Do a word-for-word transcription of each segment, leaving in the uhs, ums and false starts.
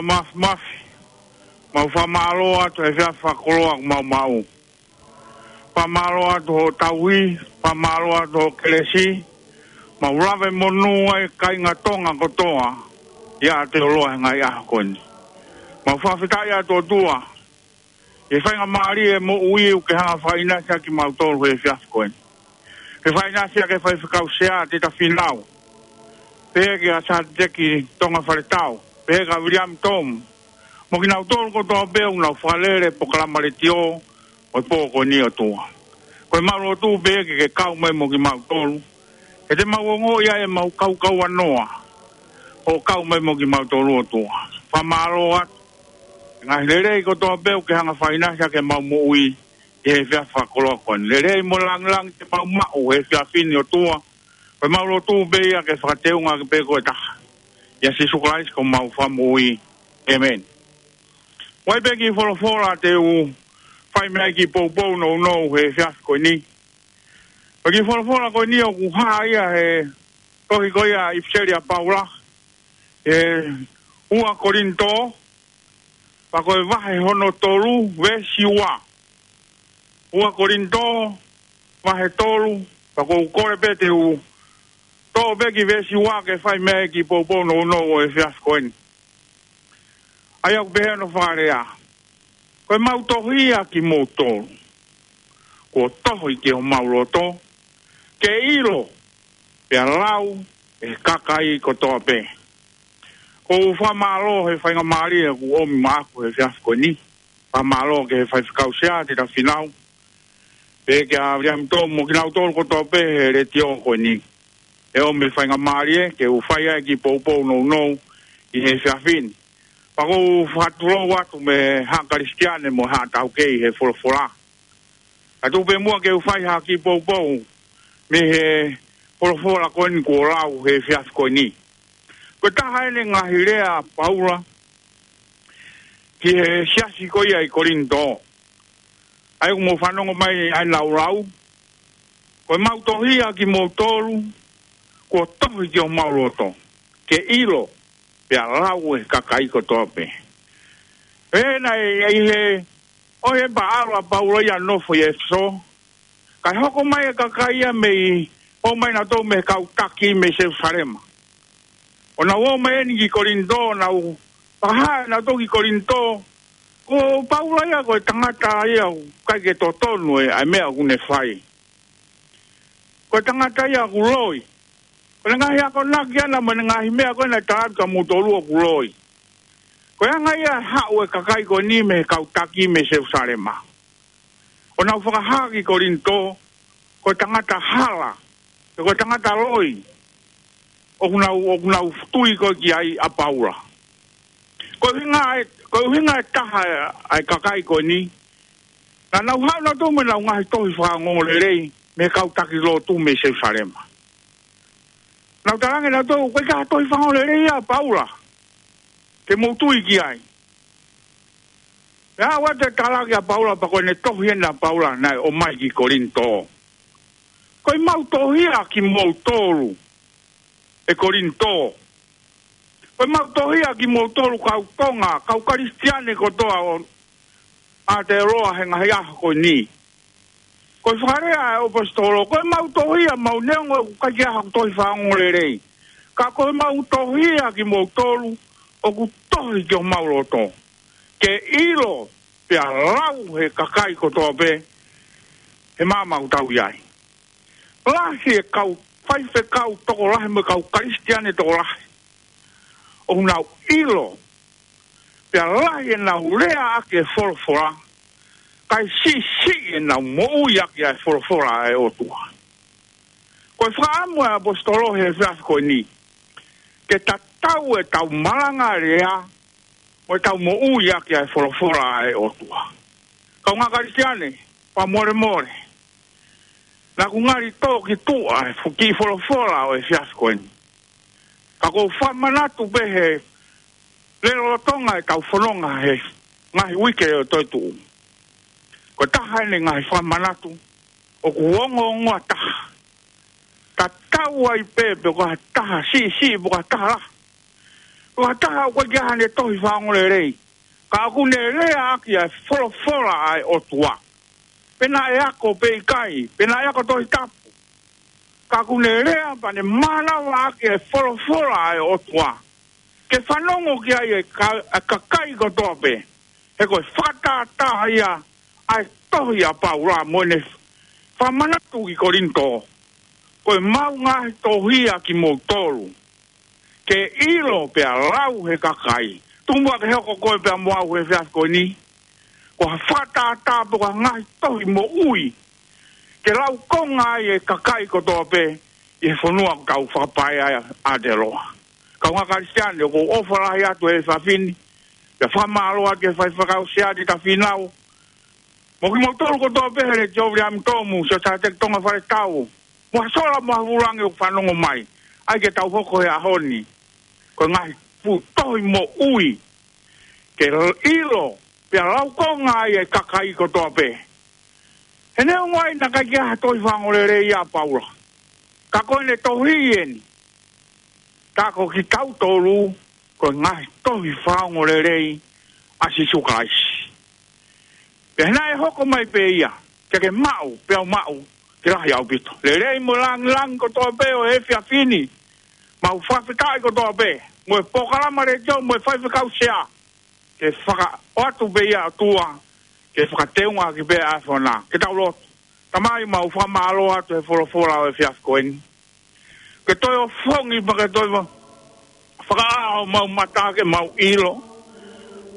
Māfimafi, mau fakamālō atu he efiafi fakakoloa kuo mau maʻu. Fakamālō atu hoʻo tauhi, fakamālō atu hoʻo kelesi, mau lave monū ai kāinga Tonga kotoa, ʻi Aotearoa he ngaahi ʻaho ko eni. Mau fakafetaʻi atu ʻOtua, ʻi he faingamālie e moʻui ʻoku ke hanga ʻo fakaʻinasi ʻaki kimautolu he efiafi ko eni. Ke fakaʻinasi ʻaki e faifekau sea Tita Fīnau. Pehē kia Sātiteki Tonga Faletau. Pehē kia Viliami Tomu. Mo kinautolu kotoa pē ʻoku nau fakalele polokalama letiō ʻo e pō ko eni ʻOtua. Ko ʻemau lotu pē ke ke kau mai mo kimautolu. He te mau ongoʻi ai ʻemau kaukaua noa. ʻO kau mai mo kimautolu ʻOtua. Fakamālō atu. Ngaahi lelei kotoa pē ʻoku ke hanga ʻo fakaʻinasi ʻaki ʻemau moʻui ʻi he efiafi fakakoloa ko eni. Lelei mo e lāngilangi te mau maʻu he efiafi ni ʻOtua. Ko ʻemau lotu pē ia ke fakateunga ʻaki pē koe taha. ʻIa Sīsū Kalaisi ko homau Fakamoʻui. ʻĒmeni. ʻOku ʻi ai pē kiʻi folofola te u fai mei ai kiʻi poupou nounou he efiafi ko eni. Ko e kiʻi folofola ko eni ʻoku hā ia he tohi ko ia ʻipiseli ʻa Paula, ʻe ua Kolinitō, pea ko e vahe hono tolu, veesi ua. Ua Kolinitō, vahe tolu, pea ʻoku ou kole pē te u toʻo pē kiʻi veesi ua ke fai mei ai kiʻi poupou nounou ʻo e efiafi ko eni. ʻA ia ʻoku pehē hono fakalea. Ko ʻemau tohi ʻa kimoutolu. Kuo tohi ki homau loto. Ke ʻilo, pea lau, ʻe he kakai kotoa pē. ʻOku ou fakamālō he faingamālie ʻoku ʻomi maʻaku he efiafi ko eni. Fakamālō ki he faifekau sea Tita Fīnau. Pehē kia Viliami Tomu mo kinautolu kotoa pē he letiō ko eni. ʻE ʻomi e faingamālie ke u fai ai kiʻi poupou nounou ʻi he efiafi ni. Pea ʻoku ou fakatulou atu mei he haʻa Kalisitiane mo e haʻa taukei he folofola. Ka tuku pē muʻa ke u fai ha kiʻi poupou mei he folofola ko eni kuo lau he efiafi ko eni. Ko e taha eni e ngaahi lea ʻa Paula ki he siasi ko ia ʻi Kolinitō. ʻA ia ʻoku mou fanongo mai ʻa ʻenau lau. Ko ʻemau tohi ʻa kimoutolu, kuo tohi ki homau loto. Ke ʻilo, pea lau ʻe he kakai kotoa pē. Ē, naʻe ʻi he, ʻo e paʻalo ʻa Paula ia ʻo nofo ʻi ʻEfesō. Kae hoko mai e kakai ia mei, ō mai nautolu mei he kau taki mei Selusalema. ʻO nau ō mai eni ki Kolinitō, nau fakahā ʻe nautolu ki Kolinitō, ko Paula ia ko e tangata ia ʻoku ʻikai ke totonu e, ʻa e meʻa ʻoku ne fai. Ko e tangata ia ʻoku loi. Ko e ngaahi akonaki ʻana mo e ngaahi meʻa ko ē naʻe tala atu kia moutolu ʻoku loi. Ko e anga ia e haʻu e kakai ko eni mei he kau taki mei Selusalema. ʻO nau fakahā ki Kolinitō, ko e tangata hala, pe ko e tangata loi, ʻoku nau, ʻoku nau tui ko ē ki ai ʻa Paula. Ko e ʻuhinga e, ko e ʻuhinga e taha ʻa e kakai ko eni, naʻa nau haʻu nautolu mo ʻenau ngaahi tohi fakaongoongolelei, mei he kau taki lotu mei Selusalema. Nau talaange nautolu, ko e ʻikai ha tohi fakaongoongolelei ia ʻa Paula, ke mou tui ki ai. Pea ʻoatu e tala kia Paula, pea ko ʻene tohi ena ʻa Paula, naʻe ʻomai ki Kolinitō. Ko ʻemau tohi ʻa kimoutolu, ʻe Kolinitō. Ko ʻemau tohi ʻa kimoutolu kau Tonga, kau Kalisitiane kotoa ʻo Aotearoa he ngaahi ʻaho ko eni. Ko e fakalea ʻa e ʻaposetolo, ko ʻemau tohi ʻa mau neongo ʻoku ʻikai ke ʻi ai haku tohi fakaongoongolelei. Ka ko ʻemau tohi ʻa kimoutolu, ʻoku tohi ki homau loto. Ke ʻilo, pea lau ʻe he kakai kotoa pē, he māmani ʻoku tau ʻi ai. Lahi e kau faifekau tokolahi mo e kau Kalisitiane tokolahi. ʻOku nau ʻilo, pea lahi ʻenau lea ʻaki e folofola, kae siʻisiʻi ʻenau moʻui ʻaki ʻa e folofola ʻa e ʻOtua. Ko e fakaʻamu ʻa e ʻaposetolo he efiafi ko eni, ke tatau ʻetau malanga lea, mo ʻetau moʻui ʻaki ʻa e folofola ʻa e ʻOtua. Kaungā Kalisitiane, fakamolemole. Naʻa ku ngali tō ki tuʻa e fuʻu kiʻi folofola ʻo e efiafi ko eni. Ka ʻoku ou fakamanatu pē he lolotonga ʻetau fononga he ngaahi uike ʻo e toetuʻu. Ko e taha eni e ngaahi fakamanatu, ʻoku ongoongoa taha. Tatau ai pē, pe ko ha taha siʻisiʻi, pe ko ha taha lahi. Ko ha taha ʻoku ʻikai ke ʻi ai haʻane tohi fakaongoongolelei, ka ʻoku ne lea ʻaki ʻa e folofola ʻa e ʻOtua. Pe naʻe ako pe ʻikai, pe naʻe ako Tohi Tapu, ka ʻoku ne lea pea ne mānava ʻaki e folofola ʻa e ʻOtua ke fanongo ki ai e ka-, e kakai kotoa pē. He ko e fakatātā ia ʻa e tohi ʻa Paula mo ʻene fakamanatu ki Kolinitō: Ko ʻemau ngaahi tohi ʻa kimoutolu, ke ʻilo pea lau ʻe he kakai. Tuku muʻa ke hoko koe pea mo au he efiafi ko eni ko ha fakatātā pe ko ha ngaahi tohi moʻui ke laukonga ai e kakai kotoa pē ʻi he fonua ʻoku tau fakapaea ai ʻa Aotearoa. Kāinga Kalisitiane, ʻoku ou ʻofa lahi atu he efiafi ni, pea fakamālō atu ki he faifekau Sea Teta Fīnau, mo kimoutolu kotoa pē he Letiō Viliami Tomu, Sōsaieti Tonga Faletau, mo ha sola mo ha vūlangi ʻoku fanongo mai, ʻai ke tau hoko he ʻaho ni ko e ngaahi fuʻu tohi moʻui ke ʻilo pea laukonga ai e kakai kotoa pē. He neongo ai naʻe ʻikai ke ʻi ai ha tohi fakaongoongolelei ʻa Paula, ka ko ʻene tohi eni, ka ko kitautolu ko e ngaahi tohi fakaongoongolelei ʻa Sīsū Kalaisi. Pea naʻe hoko mai pē ia, ke ke maʻu, pea u maʻu, ke lahi ʻaupito. Lelei mo e lāngilangi kotoa pē ʻo e efiafi ni, mau fakafetaʻi kotoa pē mo e polokalama letiō mo e faifekau Sea, ke fakaʻoatu pē ia ʻOtua, ke fakateunga ʻaki pē ʻa e fonua. Ke tau lotu. Tamai, mau fakamālō atu he folofola ʻo e efiafi ko eni. Ke toe ʻofongi pea ke toe fakaʻā homau mata ke mau ʻilo,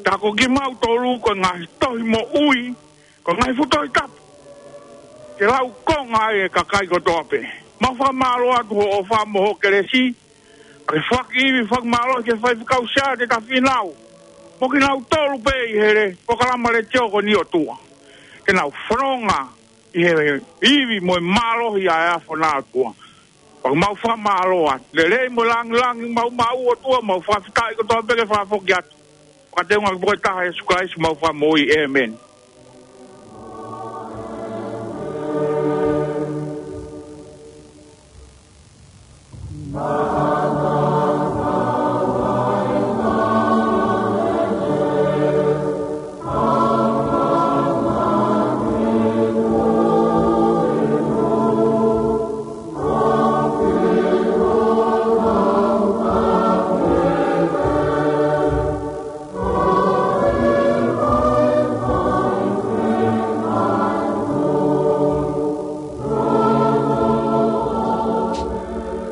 tā ko kimautolu ko e ngaahi tohi moʻui, ko e ngaahi fuʻu Tohi Tapu ke laukonga ai e kakai kotoa pē. Mau fakamālō atu hoʻo ʻofa mo hoʻo kelesi, ke fakaʻivi fakamālō ki he faifekau Sea Teta Fīnau, mo kinautolu pē ʻi he polokalama letiō ko eni ʻOtua, ke nau fononga ʻi he ivi mo e mālohi ʻa e fonua ʻOtua. Pea mau fakamālō atu. Lelei mo e lāngilangi mau maʻu ʻOtua, mau fakafetaʻi kotoa pē ke fakafoki atu. Fakateunga ki he ʻEiki ko e taha Sīsū Kalaisi homau Fakamoʻui. ʻĒmeni.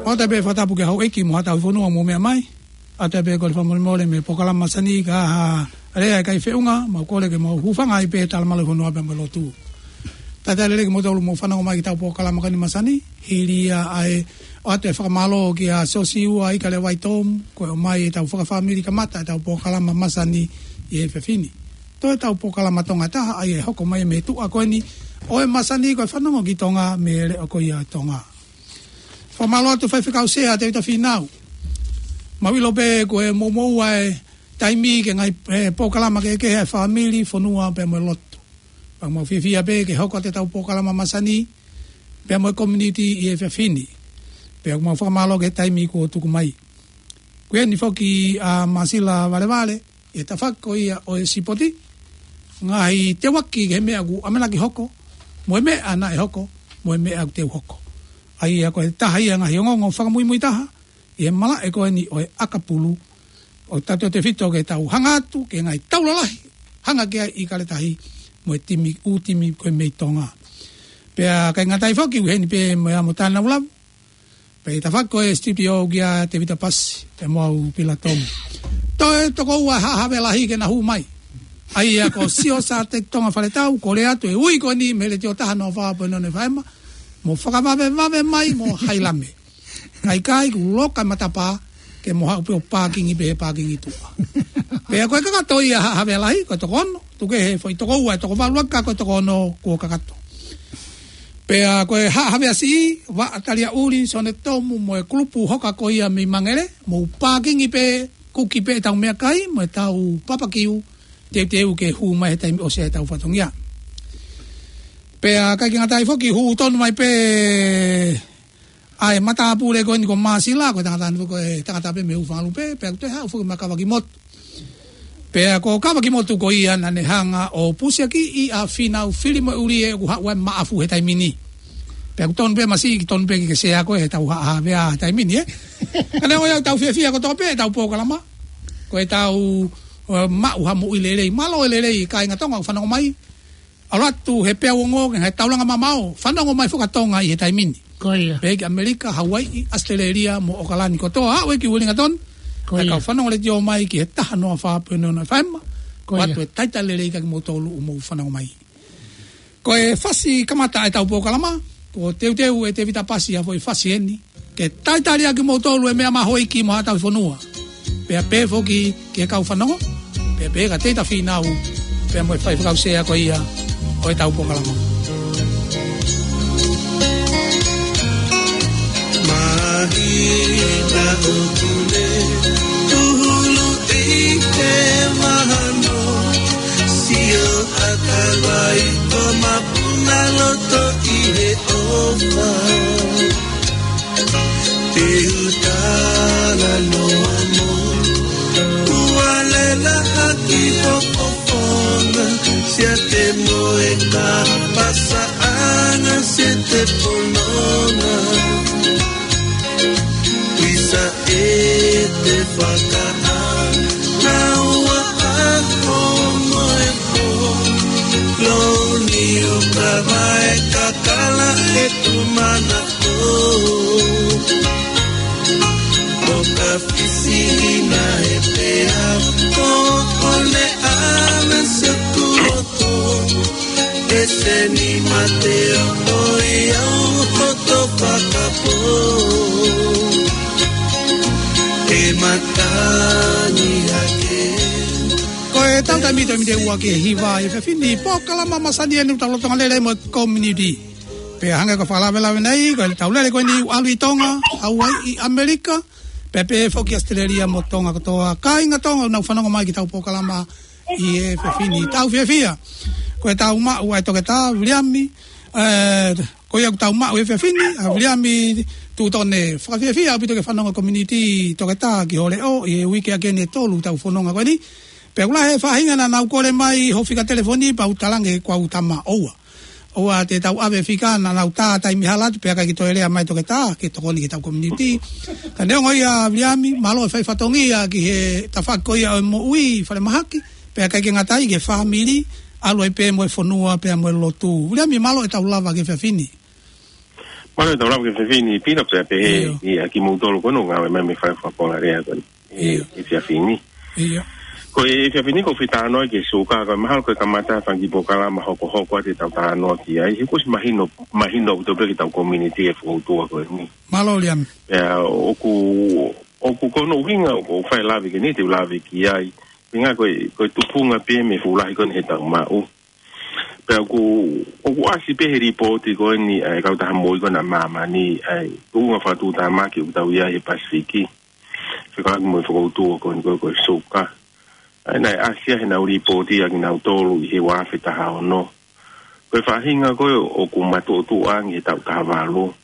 ʻOatu pē e fakatapu ki he houʻeiki mo haʻa tauhi fonua ʻoku mou meʻa mai. ʻOatu pē kole fakamolemole mei he polokalama masani ka ʻi ai ha lea ʻikai feʻunga, mau kole ke mou hūfanga ai pē he talamalu ʻo e fonua pea mo e lotu. Talitali lelei kimoutolu ʻoku mou fanongo mai ki heʻetau polokalama ko eni masani, hili ia ʻa e ʻoatu e fakamālō kia Siosiua Ikalevai Tomu, ko e ʻomai ʻetau fakafāmili kamata ʻetau polokalama masani ʻi he efiafi ni. Toe ʻetau polokalama Tonga ʻe taha, ʻa ia ʻe hoko mai mei tuʻa ko eni ʻo e masani, ko e Fanongo ki Tonga mei he Leʻo ko ia ʻo Tonga. Fakamālō atu Faifekau Sea Tevita Fīnau. Mau ʻilo pē ko e moumoua e taimi ki he ngaahi, e, polokalama kehekehe ʻa e fāmili, fonua pea mo e lotu. Pea mau fiefia pē ke hoko atu ʻetau polokalama masani pea mo e community ʻi he efiafi ni. Pea mau fakamālō ki he taimi kuo tuku mai. Ko eni foki ʻa Masila Valevale ʻi he tafaʻaki ko ia ʻo e sipoti, ngaahi teuaki ki he meʻa ʻoku ʻamanaki hoko, mo e meʻa naʻe hoko, mo e meʻa ʻoku teu hoko. ʻA ia ko e taha ia e ngaahi ongoongo fakamuimui taha ʻi he malaʻe ko eni ʻo e ʻakapulu, ʻo tautefito ke tau hanga atu ki he ngaahi taula lahi, hanga ki ai ʻIkale Tahi mo e timi, ʻū timi ko ē mei Tonga. Pea ʻikai ngata ai foki, ʻi heni pē mo ia mo Tānau Lavu, pea ʻi he tafaʻaki ko ē studio kia Tevita Pasi pea mo au Pila Tomu. Toe toko ua e Haʻa Havea Lahi ke na hū mai. ʻA ia ko Siosaieti Tonga Faletau, kole atu e ui ko eni mei he Letiō taha noa fā poini ono F M, mo fakavavevave mai mo hailame. Kae ʻikai, kuo loka e matapā, ke mo haʻu pē ʻo pākingi pē he pākingi tuʻa. Pea ko e kakato ia Haʻa Havea Lahi, ko e toko ono, tuku kehe foʻi toko ua, toko valu ʻaki, ka ko e toko ono kuo kakato. Pea ko e Haʻa Havea Siʻi, Vaʻa Taliaʻuli, Sione Tomu mo e kulupu hoka ko ia mei Mangele, mou pākingi pē, kuki pē ʻetau meʻakai mo ʻetau papakiu, teuteu ke hū mai he taimi ʻosi ʻetau fatongia. Pea ʻikai ke ngata ai foki, hū tonu mai pē ʻa e matāpule ko eni ko Māsila, ko e tangata ni ko e tangata pē mei Hūfangalupe, pea ko e toe haʻu foki mai Kavakimotu. Pea ko Kavakimotu ko ia naʻa ne hanga ʻo pusiakiʻi ʻa Fīnau Filimoeʻulie ʻoku haʻu ai Maʻafu he taimi ni. Pea ʻoku tonu pē masiʻi, tonu pē ke ke sea koe he tau haʻavea he taimi ni, ē? Ka neongo ia ʻoku tau fiefia kotoa pē he tau polokalama. Ko e tau, ē, maʻu ha moʻui lelei, mālō e lelei, kāinga Tonga ʻoku fanongo mai. ʻAlu atu he peau ongo ke he taulanga mamao, fanongo mai foki ʻa Tonga ʻi he taimi ni. Ko ia. Pehē ki ʻAmelika, Hauaiʻi, ʻAositelēlia, mo ʻOkalani kotoa, aʻu ē ki Uelingatoni. Ko ia. Kae kau fanongo letiō mai ki he taha noa fā poini ono F M. Ko ia. ʻOatu e talitali lelei kia kimoutolu ʻoku mou fanongo mai. Ko e fasi kamata e tau polokalama, kuo teuteu ʻe Tēvita Pasi ʻa e foʻi fasi eni. Ke talitali ʻa kimoutolu ʻe meʻa mahuʻinga mo haʻa tauhi fonua. Pea pehē foki ki he kau fanongo, pea pehē kia Teita Fīnau, pea mo e faifekau sea ko ia ʻo e tau polokalama. Mahina ʻoku ne tūhulu ʻi he mahano, sio ʻakavai ko Mapunaloto ʻi he ʻofa. Te u talanoa mo Ualela ʻaki hoʻo fofonga, siate mo e kapasaʻanga, siate pononga. Kuisa ʻete fakaʻānaua ʻa hoʻo moʻui pō, loni uka mai kakala e tumana. ʻO ka fisihina e pea, ko ʻone ʻana se kuoto, e seni mate o i au hoto fakapō. E matani ake. Ko e tau taimi toe mite ua ki he hiva ʻi he efiafi ni, polokalama masani eni ʻoku tau lolotonga lele mo e community. Pea hangē ko e fakalavelave nei, ko e tau lele ko eni ʻoku ʻalu ʻi Tonga, Hauaiʻi, ʻAmelika, pea pehē foki ʻAositelēlia mo Tonga kotoa, kāinga Tonga ʻoku nau fanongo mai ki he tau polokalama ʻi he efiafi ni. Tau fiefia. Ko e tau maʻu ʻa e Toketā Viliami, ē, ko ia ʻoku tau maʻu he efiafi ni, ʻa Viliami Tutone. Fakafiefia ʻaupito ke fanongo community Toketā ki ho leʻo, ʻi he uike ʻaki eni ʻe tolu tau fononga ko eni. Pea ʻoku lahi e faʻahinga naʻa nau kole mai hoʻo fika telefoni pea u talaange kuo u tama ʻoua. ʻOua te tau ʻave fika naʻa nau tā taimi hala atu pea ʻikai ke toe lea mai Toketā ke tokoni ki he tau community. Ka neongo ia Viliami, mālō e fai fatongia ki he tafaʻaki ko ia ʻo e moʻui falemahaki, pea ʻikai ke ngata ai ki he fāmili, ʻalu ai pē mo e fonua pea mo e lotu. Viliami, mālō e tau lava ki he efiafi ni. Mālō e tau lava ki he efiafi ni, Pila, pea pehē ʻIo. ʻia kimoutolu ko eni ʻoku ngāue mai mei he fale fakapoʻuli ko eni. ʻIo. ʻI he efiafi ni. ʻIo. Ko e efiafi ni ʻoku ou fie talanoa ki he suka, ko e mahalo ko e kamata fanga kiʻi polokalama hokohoko ʻa e tau talanoa ki ai. He kuo ʻosi mahino, mahino ʻaupito pē ki he tau community e fokoutua ko eni. Mālō Viliami. Pea ʻoku, ʻoku ko hono ʻuhinga ʻoku ou fai e lave ko eni, te u lave ki ai. Pea ko e, ko e tupunga pē mei he fuʻu lahi ko eni he tau maʻu. Pea ʻoku, ʻoku ʻasi pē he lipooti ko eni ʻa e kautaha moʻui ko ena ʻa māmani, ʻa e tuʻunga fakatuʻutāmaki ʻoku tau ʻi ai he Pasifiki. Fekauʻaki mo e fokoutua ko eni ko e, ko e suka. ʻA ia naʻe ʻasi ia heʻenau lipooti ʻa kinautolu ʻi he ua afe taha ono. Ko e faʻahinga ko ē ʻoku matuʻotuʻa ange he taʻu taha valu.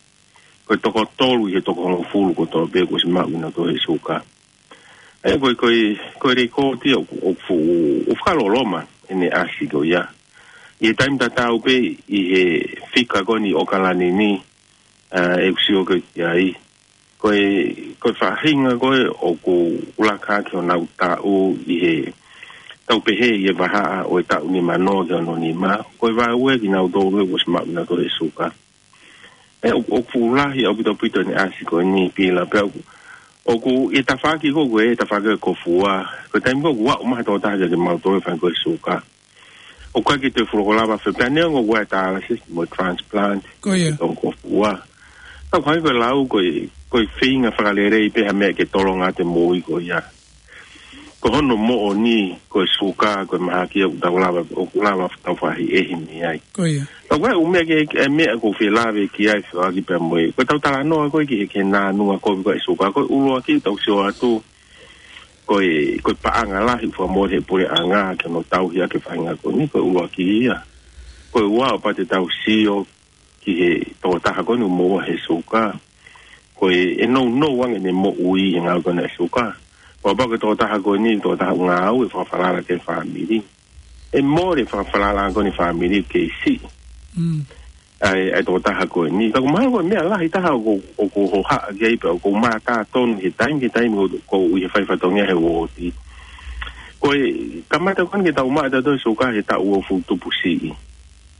Ko e toko tolu ʻi he toko hongofulu kotoa pē kuo ʻosi maʻu kinautolu he suka. ʻE, ko e, ko e, ko e lēkooti ʻoku, ʻoku fuʻu, ʻoku fakaloloma ʻene ʻasi ko ia. ʻI he taimi tatau pē ʻi he fika ko eni ʻo ʻOkalani ni, ʻa, ʻeku sio ko ē ki ai. Ko e, ko e faʻahinga ko ē ʻoku laka ki honau taʻu ʻi he tau pehē ʻi he vahaʻa ʻo e taʻu nimanoa ki he ononima. Ko e vaeua kinautolu ʻoku ʻosi maʻu kinautolu he suka. ʻE, ʻoku, ʻoku fuʻu lahi ʻaupito ʻaupito ʻene ʻasi ko eni Pila pea ʻoku, ʻoku ʻi he tafaʻaki ko ē, tafaʻaki ko Kofua. Ko e taimi ko ē ʻoku aʻu mai ha tokotaha kiate kimautolu ʻo fai ko ē suka. ʻOku ʻikai ke toe fuʻu lava fai pē neongo ʻoku ʻi ai e dialysis mo e transplant. Ko ia. Ko Kofua. Ka ʻoku ʻikai ko e lau ko e, ko e feinga fakalelei pē ha meʻa ke tolonga atu e moʻui ko ia. Ko hono moʻoni, ko e suka, ko e mahaki ʻoku tau lava, ʻoku lava tau faʻahinga mei ai. Ko ia. Ka ko e ʻū meʻa ke, e meʻa ʻoku ou fie lave ki ai fekauʻaki pea mo e. Ko e tau talanoa ko ē ki he, ki he nāunau kovi ko ē e suka, ko e ʻuluaki tau sio atu. Ko e, ko e paʻanga lahi ʻoku fakamoʻoni he puleʻanga, ke nau tauhi ʻaki e faʻahinga ko eni, ko e ʻuluaki ia. Ko e ua ʻoku pau te tau sio, ki he tokotaha ko eni ʻoku moʻua he suka. Ko e, ʻe nounou ange ʻene moʻui he ngāue ko eni ʻa e suka. Kapau ko e tokotaha ko eni, tokotaha ʻoku ngāue ʻo fakafalala ki he fāmili, ʻe mole e fakafalala ko eni ʻa e fāmili ke siʻi. Mm. ʻA e, ʻa e tokotaha ko eni. Ka ʻoku mahalo ko e meʻa lahi taha ʻoku, ʻoku hohaʻa ki ai pea ʻoku ou mātā tonu he taimi ki he taimi ʻoku, ʻoku ou ʻi he fai fatongia he uooti. Ko e kamata ko eni ke tau maʻu ʻe tautolu e suka he taʻu uofulu tupu siʻi.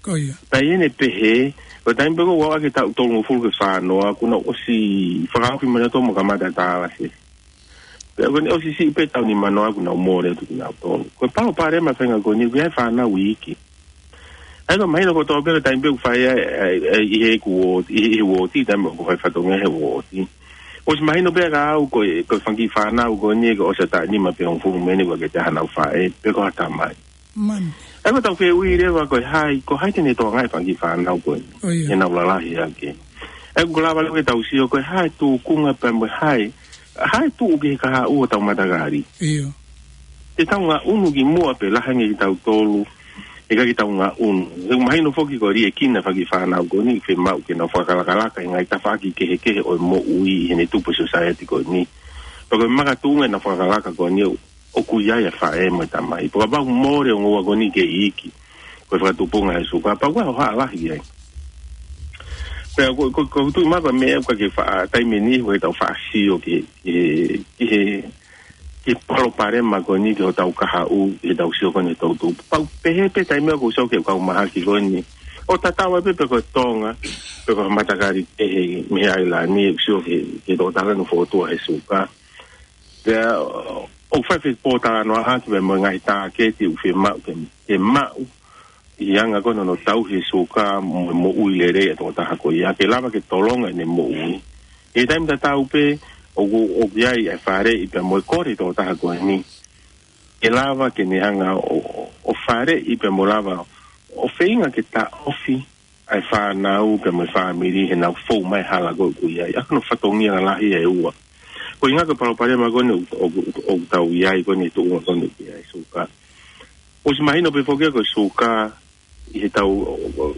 Ko ia. Pea ʻi heʻene pehē, ko e taimi pē ko ē ʻoku aʻu ki he taʻu tolungofulu ki he fāngofulu, kuo nau ʻosi fakaofi mai nautolu mo kamata tālase. Pea ko eni ʻosi siʻi pē taʻu nimangofulu kuo nau mole atu kinautolu. Ko e palopalema e faʻahinga ko eni, ʻoku ʻi ai e fānau iiki. ʻA ia ʻoku mahino kotoa pē ko e taimi pē ʻoku fai ai, ʻa e, ʻa e, ʻi he uooti, ʻi, ʻi he uooti, taimi ʻoku fai fatongia he uooti. ʻOsi mahino pē kia au ko e, ko e fanga kiʻi fānau ko eni, ko e ʻosi ʻa e taʻu nima pe hongofulu mei heni ʻoku ʻikai ke ʻi ai haʻanau faʻē, pe ko ha tamai. Man. ʻA ia ʻoku tau fehuʻi leva ko e hā, ko hai te ne tokangaʻi e fanga kiʻi fānau ko eni. ʻO ia. Ke nau lalahi ange. ʻA ia ʻoku lava leva ke tau sio ko e hā e tūkunga pea mo e hā e, hā e tuʻu ki he kahaʻu ʻo hotau matakali. ʻIo. Te tau ngaʻunu ki muʻa pe lahi ange kitautolu, ʻikai ke tau ngaʻunu. ʻOku mahino foki ko e liʻekina e fanga kiʻi fānau ko eni, fiemaʻu ke nau fakalakalaka he ngaahi tafaʻaki kehekehe ʻo e moʻui ʻi heʻene tupu e sōsaieti ko eni. Pea ko e makatuʻunga ʻenau fakalakalaka ko eni ʻo ʻoku ʻi ai e faʻē mo e tamai. Pea kapau ʻoku mole e ongo ua ko eni ke iiki, ko e fakatupunga he suka, pea ʻoku ʻi ai e hohaʻa lahi ai. Pea ko, ko, ko e tuʻu mai ko e meʻa ʻoku ʻikai ke faʻa taimi ni, ʻoku ʻikai ke tau faʻa sio ki he, ki he, ki he, ki he palopalema ko eni ki hotau kahaʻu, ʻi heʻetau sio ko eni he toʻutupu. Pea ʻoku pehē pē taimi ʻoku ou sio ki he kau mahaki ko eni. ʻO tatau ai pē pe ko e Tonga, pe ko e matakali kehe mei he ʻailani, ʻoku sio ki he, ki he tokotaha ko eni ʻoku fokotuʻu he suka. Pea, ʻoku fai fepōtalanoaʻaki pea mo e ngaahi tāketi ʻoku fiemaʻu ke, ke maʻu ʻi he anga ko eni hono tauhi e suka mo e moʻui lelei ʻa e tokotaha ko ia, ke lava ke tolonga ʻene moʻui. ʻI he taimi tatau pē, ʻoku, ʻoku ʻi ai e faleʻi pea mo e kole ʻa e tokotaha ko eni ke lava ke ne hanga ʻo, ʻo, ʻo faleʻi pea mo lava ʻo feinga ke taʻofi ʻa e fānau pea mo e fāmili heʻenau fou mai he hala ko ē ʻoku ʻi ai. ʻA ia ko hono fatongia lahi ʻe ua. Ko e ʻuhinga ko e palopalema ko eni ʻoku, ʻoku, ʻoku tau ʻi ai ko eni he tuʻunga ko eni ʻoku ʻi ai e suka. ʻOsi mahino pē foki ia ko e suka ʻi heʻetau,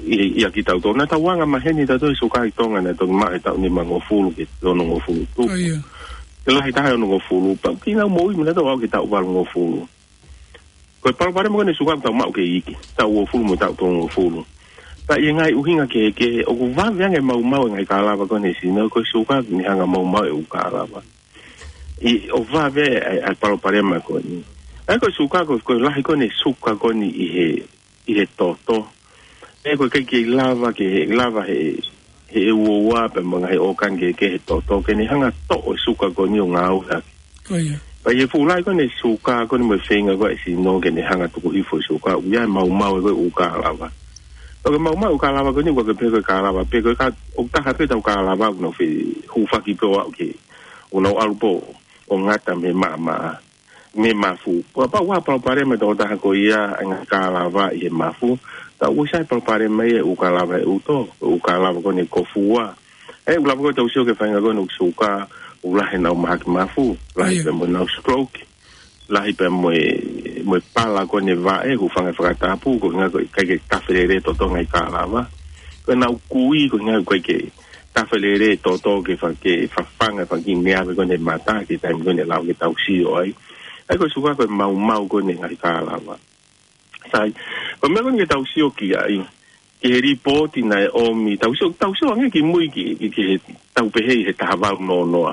ʻi, ʻi, ʻiate kitautolu. Naʻa tau anga maheni tautolu he suka ʻi Tonga naʻe toki maʻu he taʻu nimangofulu ki he onongofulu tupu. ʻO ia. Ke lahi taha e onongofulu, pea ʻoku nau moʻui mai nautolu ʻo aʻu ki he taʻu valungofulu. Ko e palopalema ko eni e suka ʻoku tau maʻu ke iiki, taʻu uofulu mo e taʻu tolungofulu. Pea ʻi he ngaahi ʻuhinga kehekehe, ʻoku vave ange e maumau e ngaahi kalava ko eni he sino, ko e suka ʻoku ne hanga ʻo maumauʻi e ʻū kalava. ʻI, ʻoku vave ʻa e, ʻa e palopalema ko eni. ʻA ia ko e suka ko, ko e lahi ko eni e suka ko eni ʻi he, ʻi he toto. ʻE ko e ʻikai ke lava ke, he lava he, he uoua pea mo e ngaahi ʻōkani kehekehe he toto ke ne hanga ʻo toʻo e suka ko eni ʻo ngāueʻaki. Ko ia. Pea ʻi he fuʻu lahi ko eni e suka ko eni mo e feinga ko ē ʻa e sino ke ne hanga ʻo tuku hifo e suka, ʻoku ʻi ai e maumau ʻa e ko e ʻū kalava. Pea ko e maumau e ʻū kalava ko eni ʻoku ʻikai ke pehē ko e kalava pē, ko e ka, ʻoku taha pē ʻetau kalava ʻoku nau fehūfaki pē ʻo aʻu ki he, ʻoku nau ʻalu pē ʻo ngata mei he maʻamaʻa, mei he mafu. Kapau ʻoku ʻi ai ha palopalema ʻa e tokotaha ko ia ʻi he ngaahi kalava ʻi he mafu, pea ʻoku ʻosi ʻi ai e palopalema ia ʻi he ʻū kalava ʻe ʻaonga, ʻū kalava ko eni ʻoku kōfuua. ʻE, ʻoku lava ko ē ke tau sio ki he faʻahinga ko eni ʻoku suka, ʻoku lahi ʻenau mahaki mafu, lahi ʻIo. pea mo ʻenau stroke, lahi pea mo e, mo e pala ko eni e vaʻe, hūfanga he fakatapu, ko e ʻuhinga ko e ʻikai ke tafe lelei e toto he ngaahi kalava. Ko ʻenau kui, ko e ʻuhinga ko e ʻikai ke tafe lelei e toto ke fa-, ke fafanga e fanga kiʻi meʻa ko eni he mata, ki he taimi ko eni ʻe lava ke tau sio ai. ʻA ia ko e suka ko e maumau ko eni e ngaahi kalava. Sai, ko e meʻa ko eni ke tau sio ki ai, ki he lipooti naʻe ʻomi, tau sio, tau sio ange ki mui ki, ki, ki he, tau pehē ʻi he taha valu noa noa.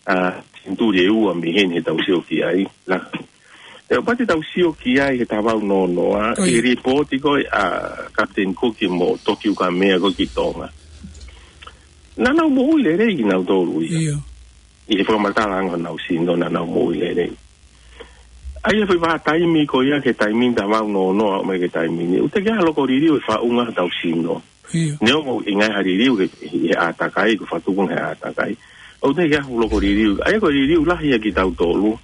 ʻA, senituli ʻe ua mei heni heʻetau sio ki ai. La, ʻe ʻoua te tau sio ki ai he taha valu noa noa, ʻOi. ki he lipooti ko ē ʻa Kapiteni Kuki mo Toki Ukamea ko ē ki Tonga. Naʻa nau moʻui lelei kinautolu ia. ʻIo. ʻI he fakamatala ange honau sino naʻa nau moʻui lelei. ʻA ia foʻi vahaʻa taimi ko ia ki he taimi ni taha valu noa noa ʻo aʻu mai ki he taimi ni, ʻoku teʻeki ai ha loko liliu ʻe faʻunga hotau sino. ʻIo. Neongo ʻi ai ha liliu he, he ʻātakai, ko e fakatupu he ʻātakai. ʻOku teʻeki ai ha loko liliu. ʻA ia ko e liliu lahi ia kiate kitautolu,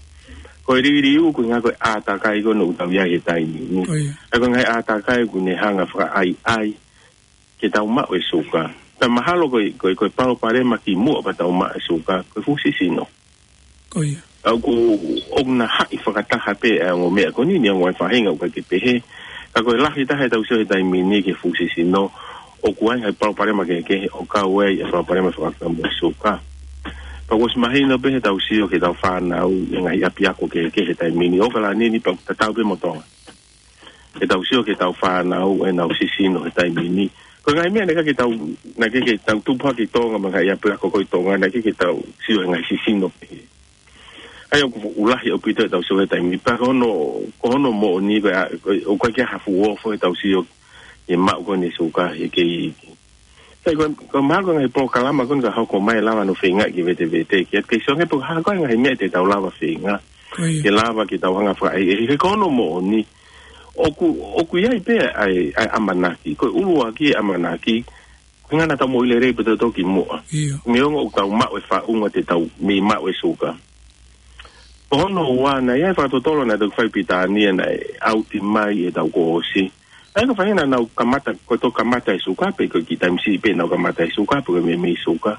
ko e liliu ko e ʻuhinga ko e ʻātakai ko eni ʻoku tau ʻi ai he taimi ni. ʻIo. ʻA ia ko e ngaahi ʻātakai ʻoku ne hanga ʻo fakaʻaiʻai ke tau maʻu e suka. Pea mahalo ko e, ko e, ko e palopalema kimuʻa pea tau maʻu e suka, ko e fusi sino. Ko ia. ʻA ia ʻoku, ʻoku na haʻi fakataha pē ʻa e ongo meʻa ko eni, neongo e faʻahinga ʻoku ʻikai ke pehē. Ka ko e lahi taha ʻetau sio he taimi ni ki he fusi sino, ʻoku ʻi ai e palopalema kehekehe ʻoku kau ai e palopalema fakataha mo e suka. Pea kuo ʻosi mahino pē heʻetau sio ki heʻetau fānau ʻi he ngaahi ʻapiako kehekehe he taimi ni, ʻOkalani ni pea tatau pē mo Tonga. Heʻetau sio ki heʻetau fānau ʻenau sisino he taimi ni. Ko e ngaahi meʻa naʻe ʻikai ke tau, naʻe ʻikai ke tau tupu hake ʻi Tonga mo e ngaahi ʻapiako ko ē ʻi Tonga, naʻe ʻikai ke tau sio he ngaahi sisino pehē. ʻA ia ʻoku fuʻu lahi ʻaupito heʻetau sio he taimi ni. Pea ko hono, ko hono moʻoni ko e, ʻoku ʻikai ke ʻi ai ha fuʻu ofo heʻetau sio ki he maʻu ko eni e suka he kei iiki. Sai, ko, ko e mahalo ko e ngaahi polokalama ko eni ka hoko mai ʻe lava hono feingaʻi ke vetevete, ke, ke sio ange pe ko e hā ko e ngaahi meʻa te tau lava feinga. Ko ia. Ke lava ke tau hanga fakaʻehiʻehi, he ko hono moʻoni. ʻOku, ʻoku ʻi ai pē ʻa e, ʻa e ʻamanaki. Ko e ʻuluaki e ʻamanaki, ko e ʻuhinga naʻa tau moʻui lelei pea tau toki muʻa. ʻIo. Neongo ʻoku tau maʻu e faʻunga te tau mei maʻu e suka. Ko hono ua, naʻe ʻi ai e fakatotolo naʻe toki fai ʻi Pilitānia naʻe ʻauti mai ʻi heʻetau kuo ʻosi. ʻA ia ko e faʻahinga naʻa nau kamata, ko e toki kamata e suka, pe ko e kiʻi taimi siʻi pē naʻa nau kamata e suka, pe ko e meimei suka.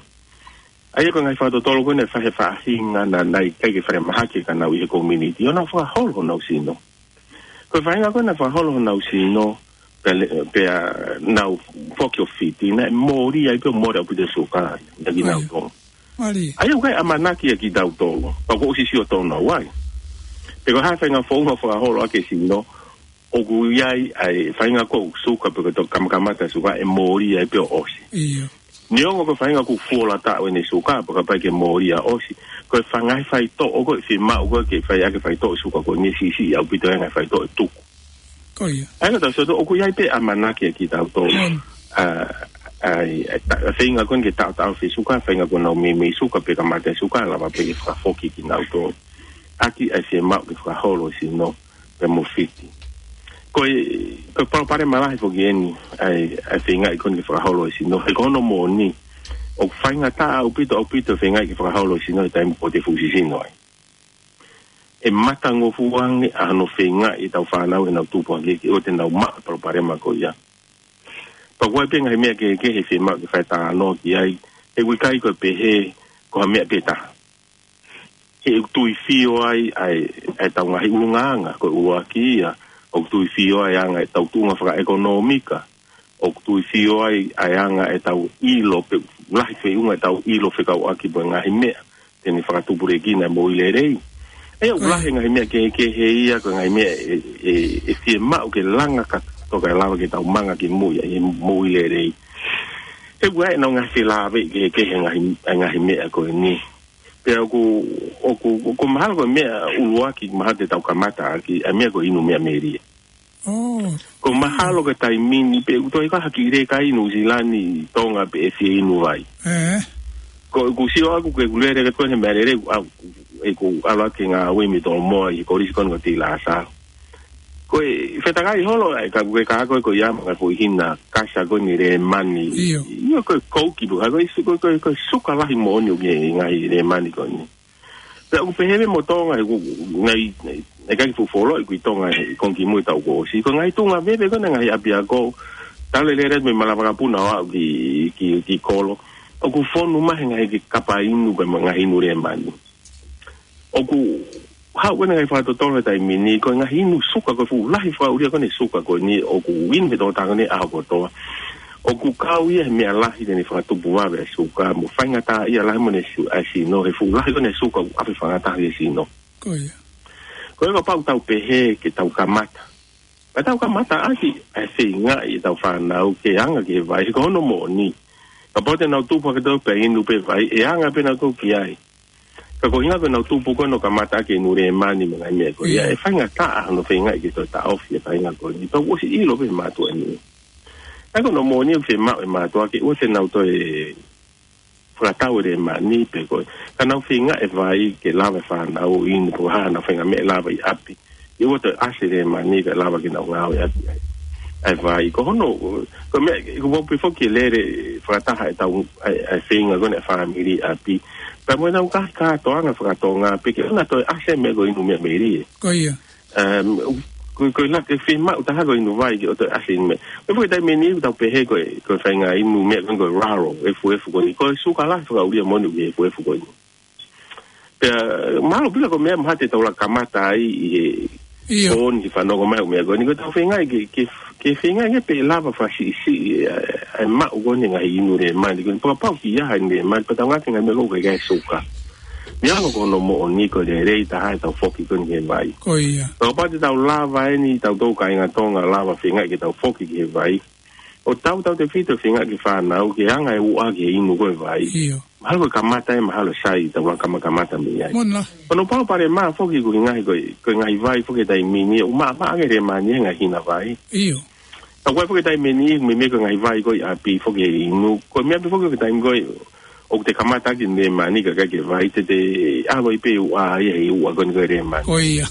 ʻA ia ko e ngaahi fakatotolo ko ē naʻe fai ʻe he faʻahinga naʻe, naʻe ʻikai ke falemahaki e kanau ʻi he community, ʻo nau fakaholo honau sino. Ko e faʻahinga ko ē naʻe fakaholo honau sino, pea le-, pea nau foki ʻo fiti, naʻe mole ai pē, mole ʻaupito e suka ʻiate kinautolu. Mālie. ʻA ia ʻoku ʻi ai e ʻamanaki ʻia kitautolu, pea kuo ʻosi sio tonu au ai. Pe ko e hā e faʻahinga founga fakaholo ʻaki e sino, ʻoku ʻi ai ʻa e faʻahinga ko e suka pe ko e toki kamakamata e suka ʻe mole ai pē ʻo ʻosi. ʻIo. Neongo ko e faʻahinga kuo fuoloa taʻu ʻene suka, pea kapau ke mole ia ʻo ʻosi. Ko e faʻahinga faitoʻo ko ē ʻe fiemaʻu ko ē ke fai ʻaki e faitoʻo e suka ko eni ʻe siʻisiʻi ʻaupito e ngaahi faitoʻo ʻe tuku. Ko ia. ʻA ia ka tau sio atu, ʻoku ʻi ai pē e ʻamanaki ʻia kitautolu. ʻIo. ʻA, ʻa, ʻa, ta-, feinga ko eni ke taʻotaʻofi e suka, faʻahinga ko ʻenau meimei suka pe kamata e suka, lava pē ke fakafoki kinautolu. ʻAki ʻa e fiemaʻu ke fakaholo e sino pea mo fiti. Ko e, ko e palopalema lahi foki eni, ʻa e, ʻa e feingaʻi ko eni ke fakaholo e sino. He ko hono moʻoni, ʻoku faingataʻa ʻaupito, ʻaupito e feingaʻi ke fakaholo e sino he taimi ko ē te fuʻu sisino ai. ʻE matangofua ange ʻa hono feingaʻi ʻetau fānau heʻenau tupu hake ke ʻoua te nau maʻu e palopalema ko ia. Pea ʻoku ʻi ai pē ngaahi meʻa kehekehe ʻe fiemaʻu ke fai e talanoa ki ai, he ʻoku ʻikai ko e pehē ko ha meʻa pē taha. He ʻoku tuifio ai ʻa e, ʻa ʻetau ngaahi ʻulungaanga, ko e ʻuluaki ia, ʻoku tuifio ai e anga ʻetau tuʻunga fakaʻekonōmika, ʻoku tuifio ai ʻa e anga ʻetau ʻilo, pe lahi feʻunga ʻetau ʻilo fekauʻaki mo e ngaahi meʻa te ne fakatupulekina e moʻui lelei. ʻA ia ʻoku lahi e ngaahi meʻa kehekehe ia, ko e ngaahi meʻa ʻe, ʻe, ʻe fiemaʻu ke langa kātoa kae lava ke tau manga ki mui ʻi he moʻui lelei. He ʻoku ʻi ai ʻenau ngaahi felāveʻi kehekehe e ngaahi, e ngaahi meʻa ko eni. Pea ʻoku, ʻoku, ʻoku mahalo ko e meʻa ʻuluaki mahalo te tau kamata ʻaki, ʻa e meʻa ko e inu meʻa melie. ʻOo. Ko mahalo ko e taimi ni pē ʻoku toe ʻikai ha kiʻi leka inu ʻi Nuʻusila ni, Tonga pē ʻe fie inu vai. ʻE. Ko ʻeku sio ʻaku ke ʻeku lele ke ko eni he meʻa lele, ʻa, ʻeku ʻalu ʻaki e ngāue mei Tolomoa ʻi he kolisi ko eni ko Tilasalo. Ko e fetakai holo ai, ka ʻoku ke kā ko ē ko ia mo e ngaahi foʻi hina kasa ko eni Lēmani. ʻIo. ʻIo, ko e kouki pē, ko e su-, ko e, ko e, ko e suka lahi moʻoni ʻoku ʻi he ngaahi Lēmani ko eni. Pea ʻoku pehē pē mo Tonga, he ʻoku, ngai, ngai, ʻikai fuʻu fuoloa ʻi Tonga he konga kimui ʻetau kuo ʻosi. Ko e ngaahi tuʻunga veve ko ena ngaahi ʻapiako, tau lele lele mei Malavakapuna ʻo aʻu ki, ki, ki Kolo. ʻOku fonu mai he ngaahi kapa inu pea mo e ngaahi inu Lēmani. ʻOku haʻu ko ena ngaahi fakatotolo he taimi ni, ko e ngaahi inu suka, ko e fuʻu lahi fakaʻulia ko eni e suka ko eni, ʻoku inu he tokotaha ko eni ʻaho kotoa. ʻOku kau ia he meʻa lahi te ne fakatupu vave e suka, mo faingataʻaʻia lahi mo ʻene su-, ʻa e sino, he fuʻu lahi ko ena e suka ʻoku ʻave faingataʻa ki he sino. Ko ia. Ko ia kapau ʻoku tau pehē ke tau kamata. Ka tau kamata ʻaki ʻa e feingaʻi ʻetau fānau ke anga ki he vai, he ko hono moʻoni. Kapau te nau tupu hake atu pea inu pē vai, ʻe anga pē nautolu ki ai. Ka ko e ʻuhinga ko ʻenau tupu ko ē ʻo kamata ʻaki e inu Lēmani mo e ngaahi meʻa ko ia, ʻIo. ʻe faingataʻa hono feingaʻi ke toe taʻofi e faʻahinga ko eni. Pea ʻoku ʻosi ʻilo pē ʻe he mātuʻa ni. ʻA ia ko hono moʻoni ʻoku fiemaʻu ʻe he mātuʻa ke ʻoua te nau toe fakatau e Lēmani pe ko e, ka nau feingaʻi e vai ke lava e fānau ʻo inu pe ko e hā haʻanau feinga meʻa lava ʻi ʻapi. ʻIo, ʻoua toe ʻasi e Lēmani kae lava ke nau ngāueʻaki ʻa e, ʻa e vai. Ko hono, ko e meʻa, ʻoku mau pē foki e lele fakataha ʻetau, ʻa e, ʻa e feinga ko ena e fāmili ʻi ʻapi. Pea mo ʻenau ngaahi kātoanga faka-Tonga, pe ke ʻoua toe ʻasi e meʻa ko e inu meʻa melie. Ko ia. Um, ko, ko e lahi e fiemaʻu taha ko e inu vai ke ʻoua toe ʻasi e inu meʻa. Ko e foki taimi ni ʻoku tau pehē ko e, ko e faʻahinga inu meʻa ko e, ko e raro, efuefu ko eni. Ko e suka lahi fakaʻulia moʻoni ʻoku ʻi he efuefu ko eni. Pea, mahalo pē ko e meʻa mahalo te tau lava kamata ai ʻi he ʻIo. ko eni ke fanongo mai ʻo meʻa ko eni. Ko ʻetau feingaʻi ke, ke, ke feingaʻi ange pē lava fakasiʻisiʻi, ʻa e, ʻa e maʻu ko eni ngaahi inu Lēmani. Ko eni pea kapau ʻoku ʻi ai ha inu Lēmani, pea tau ngāueʻaki e ngaahi meʻa ko ē ʻoku ʻikai suka. Neongo ko hono moʻoni ko e lelei taha ʻetau foki ko eni ki he vai. Ko ia. Kapau te tau lava eni, tautolu kāinga Tonga lava feinga ke tau foki ki he vai. ʻO tau tautefito feinga ke fānau, ke anga e uʻa ke inu ko e vai. ʻIo. Mahalo ko e kamata ē, mahalo sai, tau langa kama kamata mei ai. Mona. Ko hono palopalema foki ko e ngaahi ko e, ko e ngaahi vai foki taimi ni, ʻoku maʻamaʻa ange ʻe Lemani e ngaahi hina vai. ʻIo. Ka ko e foki taimi ni, meimei ko e ngaahi vai ko ē ʻi ʻapi foki inu. Ko e meʻa pē foki ko e taimi ko ē, ʻoku te kamata ki Lemani ka ʻikai ke vai, te te ʻave pē uʻa ia he uʻa ko eni ko e Lemani. Ko ia.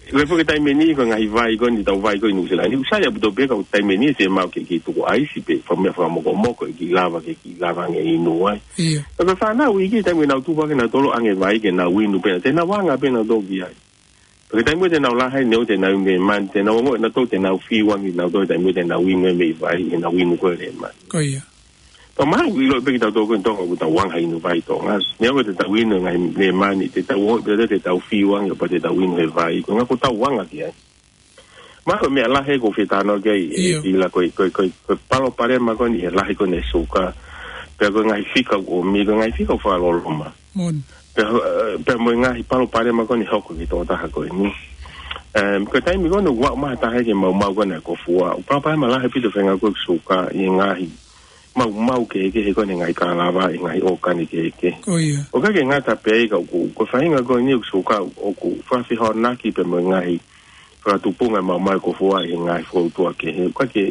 Ko e foki taimi ni, ko e ngaahi vai ko eni, tau vai ko ē ʻi Nuʻu Sila ni, ʻoku sai ʻaupito pē ka ko e taimi ni, fiemaʻu ke, ke tuku ʻaisi pē, faka-, meʻa fakamokomoko, ke lava, ke, ke lava ange inu ai. ʻIo. Ka ko e fānau ʻi he taimi ʻenau tupu hake nautolu ʻo ʻange vai ke nau inu pē, te nau anga pē nautolu ki ai. Pea ko e taimi ko ē te nau lahi ai, neongo te nau inu Lemani, te nau ongoʻi nautolu te nau fiu ange nautolu he taimi ko ē te nau inu e meʻi vai, he nau inu ko e Lemani. Ko ia. Pea mahalo ʻoku ʻiloʻi pē kitautolu ko eni Tonga ʻoku tau anga inu vai Tonga. Neongo te tau inu e ngaahi Lemani, te tau ongoʻi pē te tau fiu ange pea te tau inu he vai, ko e ʻuhinga ʻoku tau anga ki ai. Mahalo ko e meʻa lahi ʻoku ou fie talanoa ki ai, ʻIo. ʻi la ko e, ko e, ko e, ko e palopalema ko eni he lahi ko eni e suka. Pea ko e ngaahi fika ʻoku ʻomi, ko e ngaahi fika ʻoku fakaloloma. Mona. Pea, eh, pea mo e ngaahi palopalema ko eni hoko ki he tokotaha ko eni. Em, ko e taimi ko eni ʻoku aʻu mai ha taha ke maumau ko eni e kofua. ʻOku palopalema lahi ʻaupito feinga ko e suka ʻi he ngaahi maumau kehekehe ko eni, ngaahi kalava, ʻi he ngaahi ʻōkani kehekehe. Ko ia. ʻOku ʻikai ke ngata pē ai ka ʻoku, ko e faʻahinga ko eni ʻoku suka ʻoku fakafehoanaki pē mo e ngaahi fakatupunga maumau e kofua ʻi he ngaahi foutua kehe. ʻOku ʻikai ke,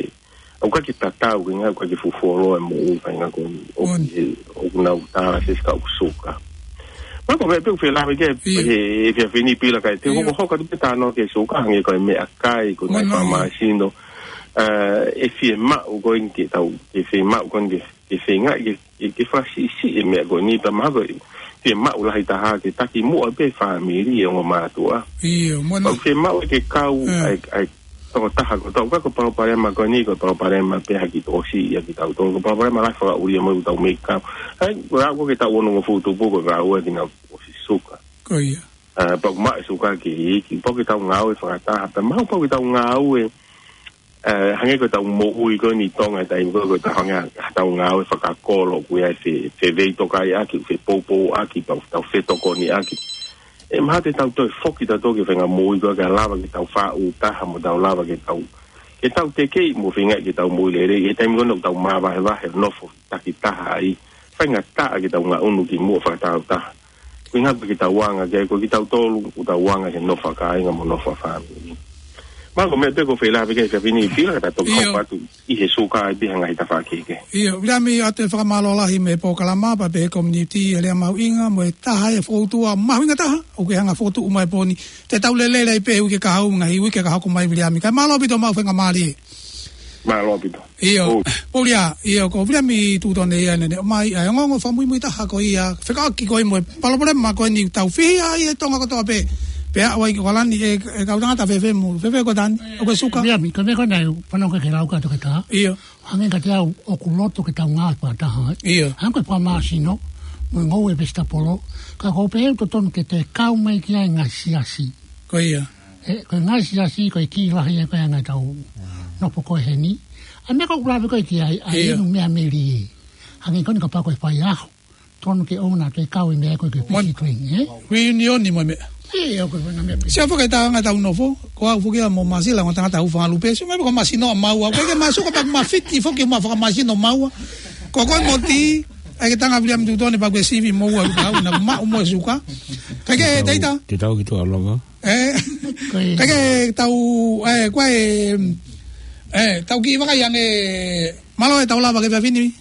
ʻoku ʻikai ke tatau, ko e ngaahi ʻoku ʻikai ke fufuoloa e moʻui faʻahinga ko eni ʻoku, Mona. he, ʻoku nau tālafesi ka ʻoku suka. Mahalo ko e meʻa pē ʻoku ou fie lave ki ai, ʻIo. he, he efiafi ni Pila, kae te u ʻIo. hokohoko atu pē talanoa ki he suka, hangē ko e meʻakai, ko e ngaahi Mona, ʻio. fakamāsino, eh, ʻe fiemaʻu ko eni ke tau, ke fiemaʻu ko eni ke, ke feinga ke, ke, ke fakasiʻisiʻi e meʻa ko eni, pea mahalo ko e fiemaʻu lahi taha ke taki muʻa pē fāmili ʻe ongo mātuʻa. ʻIo, mona. Pea fiemaʻu ke kau Eh. ʻa e, ʻa e tokotaha kotoa, ʻoku ʻikai ko e palopalema ko eni, ko e palopalema pē ha kiʻi tokosiʻi ʻa kitautolu, ko e palopalema lahi fakaʻuli ia mo ʻetau meʻi kau. ʻAi, ko e ʻaho ko ē ke tau onongofulu tupu, ko e vaʻa ʻa kinautolu ʻosi suka. Ko ia. Ah, pea ʻoku maʻu e suka ke iiki, pea ʻoku tau ngāue fakataha, pea mahalo pea ʻoku tau ngāue, eh, hangē ko ʻetau moʻui ko eni ʻi Tonga, taimi ko ē ʻoku tau hangē ha tau ngāue fakakolo, ʻoku ʻi ai e fe, feveitokaiʻaki, fepoupouaki, pea ʻoku tau fetokoniʻaki. ʻE mahalo te tau toe foki tautolu ki he faʻahinga moʻui ko ē ke lava ke tau faʻu taha mo tau lava ke tau, ke tau tekeʻi mo feinga ke tau moʻui lelei, he taimi ko ē ʻoku tau māvahevahe nofo takitaha ai, faingataʻa ke tau ngaʻunu ki muʻa fakatāutaha. Ko e ʻuhinga pē ke tau anga ki ai, ko kitautolu, ʻoku tau anga he nofo fakakāinga mo nofo fakafāmili. Mahalo ko e meʻa pē ʻoku ou fie lave ki ai he efiafi ni Pila, ka ta toki ʻIo. hoko atu ʻi he suka ʻi ha ngaahi tafaʻaki kehe. ʻIo, Viliami, ʻoatu e fakamālō lahi mei he polokalama, pea pehē ko e community, e lea mahuʻinga, mo e taha e foutua mahuʻinga taha, ʻoku ke hanga fotu uma e pō ni. Te tau lele lelei pē he uike kahaʻu, ngaahi uike ka hoko mai Viliami. Kae mālō ʻaupito homau faingamālie. Mālō ʻaupito. ʻIo, ʻOi. Pōlia, ʻio, ko Viliami Tutone ia naʻe ʻomai, ʻa e ongoongo fakamuimui taha ko ia, fekauʻaki ko ē mo e palopalema ko eni ʻoku tau fihi ai e Tonga kotoa pē. Pea ʻoku ʻi ai ko ē lani e, e kau tangata fēfē mo, fēfē ko e tani, ʻoku ke suka. Viliami, ko e meʻa ko ē naʻe fanongo ki ai e lau ʻa e toketā. ʻIo. Hangē kiate au ʻoku loto ke tau ngāue fakataha. ʻIo. Hangē ko e fakamāsino, mo e ngoue e vesitapolo, ka ʻoku ou pehē ʻoku totonu ke toe kau mai ki ai e ngaahi siasi. Ko ia. ʻE, ko e ngaahi siasi, ko e kī lahi ē ko e anga ʻetau nofo ko ē heni. ʻA e meʻa ko ē ʻoku lave ko ē ki ai, ʻa e ʻIo. inu meʻa melie. Hangē ko eni kapau ko e faiako, totonu ke ʻoua naʻa toe kau e meʻa ko ē ke Mon- pisi tuing, ē? Reunion ni mo e meʻa. ʻIo, ko e faʻahinga meʻa pē. Sia fakatātā ʻetau nofo, ko au foki ia mo Masila, ko e tangata ʻoku fakalupe, sio mai ko e māsino ʻa maua, ko e ke māsino ka pea ʻoku mafiti foki mo fakamāsino maua. Ko koe mo Ti, ʻai ke tanga Viliami Tutone pea ʻoku ke sivi moua ʻoku tau, naʻa maʻu mo e suka. Kae kehe, Taita. Te tau ki tuʻa longa. ʻE, Ko e kae kehe tau, ʻe, ko e, ʻe, tau kiʻi vakai ange, mālō ʻetau lava ki he efiafi ni.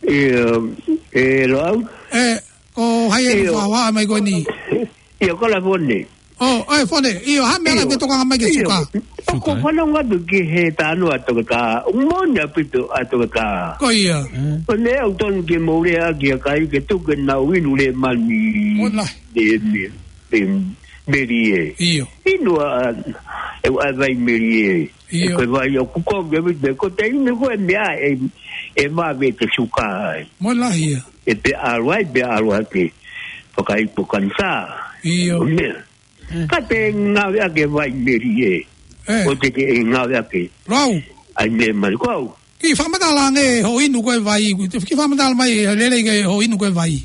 ʻIo, ʻe, Loʻau? ʻE, ko hai e ʻIo. fakahohaʻa mai ko eni? ʻIo, ko la Fone. ʻO, ʻe, Fone, ʻio, ha meʻa ʻIo. ke tokanga mai ki he ʻIo. suka. ʻOku Suka, ē? fanongo atu ki he talanoa ʻa e toketā, ʻoku moʻoni ʻaupito ʻa e toketā. Ko ia. Ko e meʻa ʻoku totonu ke mou lea ki ai, kae ke tuku ke nau inu Lemani. Mona. Lemani. Em, melie. ʻIo. Inu ʻa, ʻe, ʻa e vai melie. ʻIo. Ko e vai ʻoku kovi ʻaupito, ko e inu ko e meʻa ʻe, ʻe vave ke suka ai. Mona ia. ʻE pea ʻalu ai, pea ʻalu hake. Fakaipo kanisā. ʻIo. Ko e meʻa. Ka te ngāueʻaki e vai melie. ʻE. ʻO te ke ngāueʻaki. Rau. ʻAi meʻa mai ko au. Kiʻi fakamatala ange hoʻo inu ko ē vai, kiʻi fakamatala mai, lelei ki hoʻo inu ko ē vai.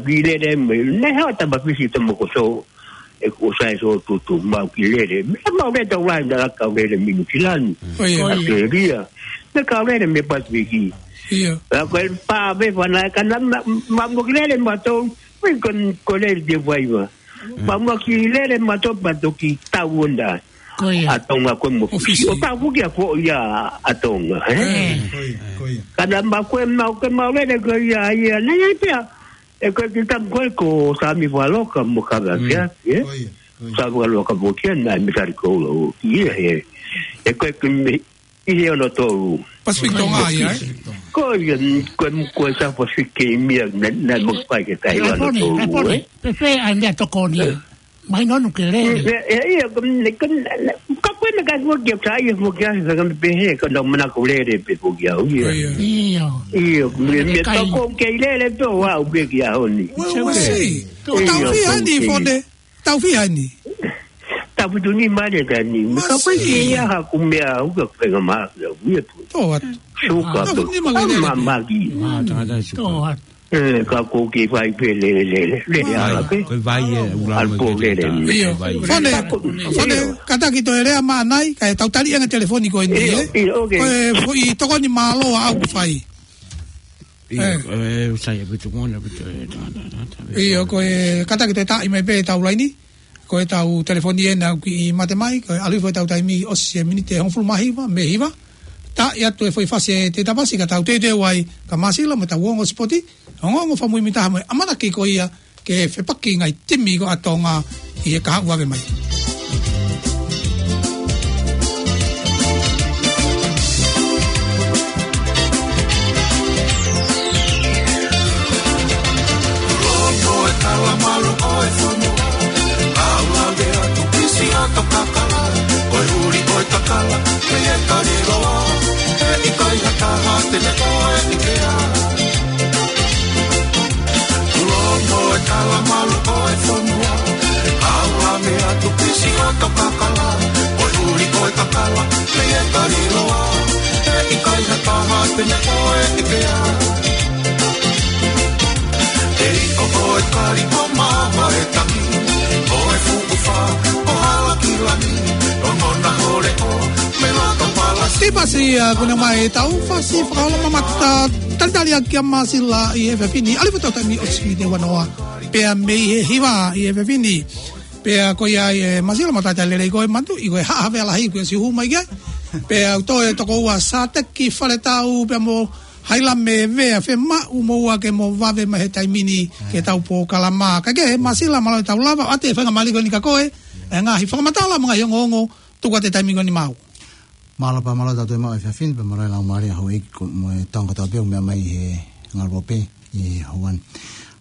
kiʻi lele mo, ne hao tama fisi to mo ko so, e ko sai so tutu, mau kiʻi lele. Meʻa mau lele tau lai na kau lele minu kilani. Ko ia. Ko ia. Australia. Meʻa kau lele mei Pasifiki. Ia. Ka ko e pā ve fana, ka na ma, ma mo kiʻi lele mautolu, ui ko, ko lele te vai va. Ma mo kiʻi lele mautolu pa toki tau onda. Ko ia. ʻA Tonga ko e mo Fisi. Fisi. ʻO tau fuki a ko ia ʻa Tonga, eh? Eh. Ko ia, ko ia. Ka na ma ko e mau ke mau lele ko ia, ia, na ia pea. E ko e ki tam ko e ko Sami Valoka mo ka va Mm. kia, eh? Ko ia, ko ia. Sami Valoka mo kia na mi kari ko lo, ia, eh. E ko e ki mi, ʻi he ono tolu. Pacific Tonga ia, eh? Ko ia, ko e, ko e South Pacific ke mia, na, na mo fai ke kai ono tolu, eh? Pe fe ai mea tokoni. Mai nonu ke lele. E, e, ia, ko, ne, ko, ne, ka ko e meʻa ka ko kia ka ia ko kia ka me pehe, ka na mana ko lele pe ko kia, ia. Ia. Ia, me, me Kai. Toko ke lele pe wa u pe kia honi. Well, we'll see. Ko Ia, tau fia ko ni, ke. Fone. Tau fia ni. Tau fitu ni mane ka ni. Ka ko Masi. Ke ia ha ku mea u ka ko nga ma, ia, ia tu. Toa. Suka Tau tu. Fitu ni mane. Ma, ma ki. Ma, tangata suka. Toa. E, ka ko ke fai pe le, le, le, le, ala pe. Ko e vai e, ula Al mo po ke le, le. Tata. Io. Ko e vai. Fone, Ka ko, fone, io. Kātaki toe lea mai, ka e tau tali ʻanga telefoni ko eni, Io, eh? Io, ok. Ko e foʻi tokoni mālō ʻa au fai. Io, Eh. e, sai, e, pitu mona, pitu, e, ta, ta, ta, ta, Io, ko e kātaki toe taʻi mai pe tau laini. Ko e tau telefoni ena ki mate mai, ko e ʻalu hifo e tau taimi ʻosi e miniti e hongofulu mā hiva, mei hiva. Taʻi atu e foʻi fasi e te tapasi ka tau teuteu ai, ka Masila mo tau ongo sipoti, ongoongo fakamui mita mo e ʻamanaki ko ia ke fepaki ngai timi ko ʻa Tonga ʻi he kahaʻu vave mai. Loto e kala malo ko e fono. Au lave atu pisi ʻa tau kakala. Ko e uli ko e kakala, ke e kali loa. E ʻikai ha taha te ne ko e ʻikea. Loto e kala malo ko e fono. Au lave atu pisi ʻa tau kakala. Ko e uli ko e kakala, ke e kali loa. E ʻikai ha taha te ne ko e ʻikea. Ei, ko, ko e kali ko mama e tangi, ko e fuku fa, ko hala ki lani, o nona hole o, me laka palasi. Tipasi a kuna mai tau fasi fakaolo mamata, talitali a kia Masila ʻi he fefini, ʻalu hifo e tau taimi ʻosi e miniti ua noa, pea mei he hiva ʻi he fefini. Pea ko ia ʻi he Masila mo tata lelei ko e matu, ʻi ko e haʻa vea lahi ko e sihu mai ke. Pea u toe toko ua Sateki Faletau, pea mo Haila me vea fe maʻu mo ua ke mo vave mai he taimi ni ke tau pōkalama. Ka ke he Masila mālō e tau lava, ʻoatu e faingamālie ko eni kia koe, e ngaahi fakamatala mo e ngaahi ongoongo, tuku atu e taimi ko eni maʻau. Mālō pea mālō tau toe maʻu e fefini, pea mālō e laumālie ʻa houʻeiki ko, mo e tonga tau pea meʻa mai he ngaluope ʻi Hawaiʻi.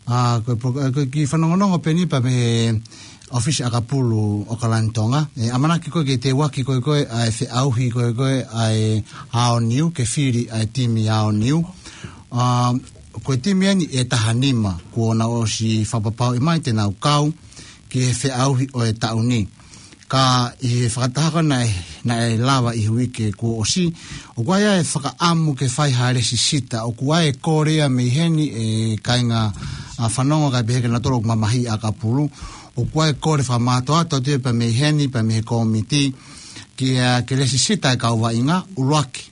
ʻA, ko e pro-, ʻa, ko e kiʻi fanongonongo pē eni pea mei he ʻOfisi ʻAkapulu ʻAokalani Tonga. ʻE, ʻamanaki ko e ke teuaki ko e ko e, ʻa e feʻauhi ko e ko e, ʻa e Aoniu, ke fili ʻa e timi Aoniu. ʻA, Ko e timi eni ʻe taha nima kuo nau ʻosi fakapapauʻi mai te nau kau ki he feʻauhi ʻo e taʻu ni. Ka ʻi he fakataha ko ē naʻe, naʻe lava ʻi he uike kuo ʻosi, ʻoku ʻi ai e fakaʻamu ke fai ha lēsisita, ʻoku ʻi ai e kole ia mei heni e kāinga, ʻa, fanongo kae pehē kia nautolu ʻoku mamahiʻi ʻakapulu, ʻoku ʻi ai e kole fakamātoato atu ia pea mei heni, pea mei he kōmiti, ki he, ke lēsisita e kau vaʻinga, ʻuluaki.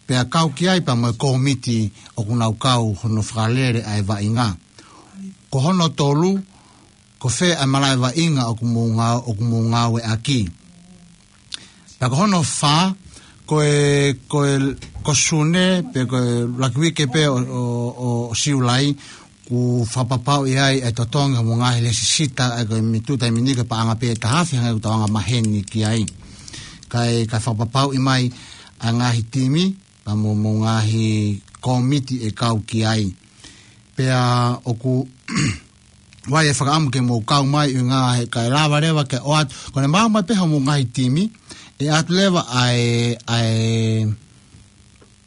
Pea kau ki ai pea mo e kōmiti ʻoku nau kau hono fakalele ʻa e vaʻinga. Ko hono tolu, ko fē ʻa e malaʻe vaʻinga ʻoku mou ngā-, ʻoku mou ngāueʻaki. Pea ko hono fā, ko e, ko e, ko Sune, pe ko e ʻuluaki uike pē ʻo, ʻo, ʻo, ʻo Siulai, ʻoku fakapapauʻi ai e totongi hoʻomou ngaahi lēsisita, ʻa ia ko e mītita ʻi he miniti ko e paʻanga pē ʻe taha afe hangē ko ʻetau angamaheni ki ai. Kae, kae fakapapauʻi mai ʻa e ngaahi timi, pea mo, mo e ngaahi kōmiti ʻe kau ki ai. Pea ʻoku ʻi ai e fakaʻamu ke mou kau mai ʻi he ngaahi, kae lava leva ke ʻoatu. Ko ʻene maʻu mai pē hoʻomou ngaahi timi, ʻe ʻoatu leva ʻa e, ʻa e,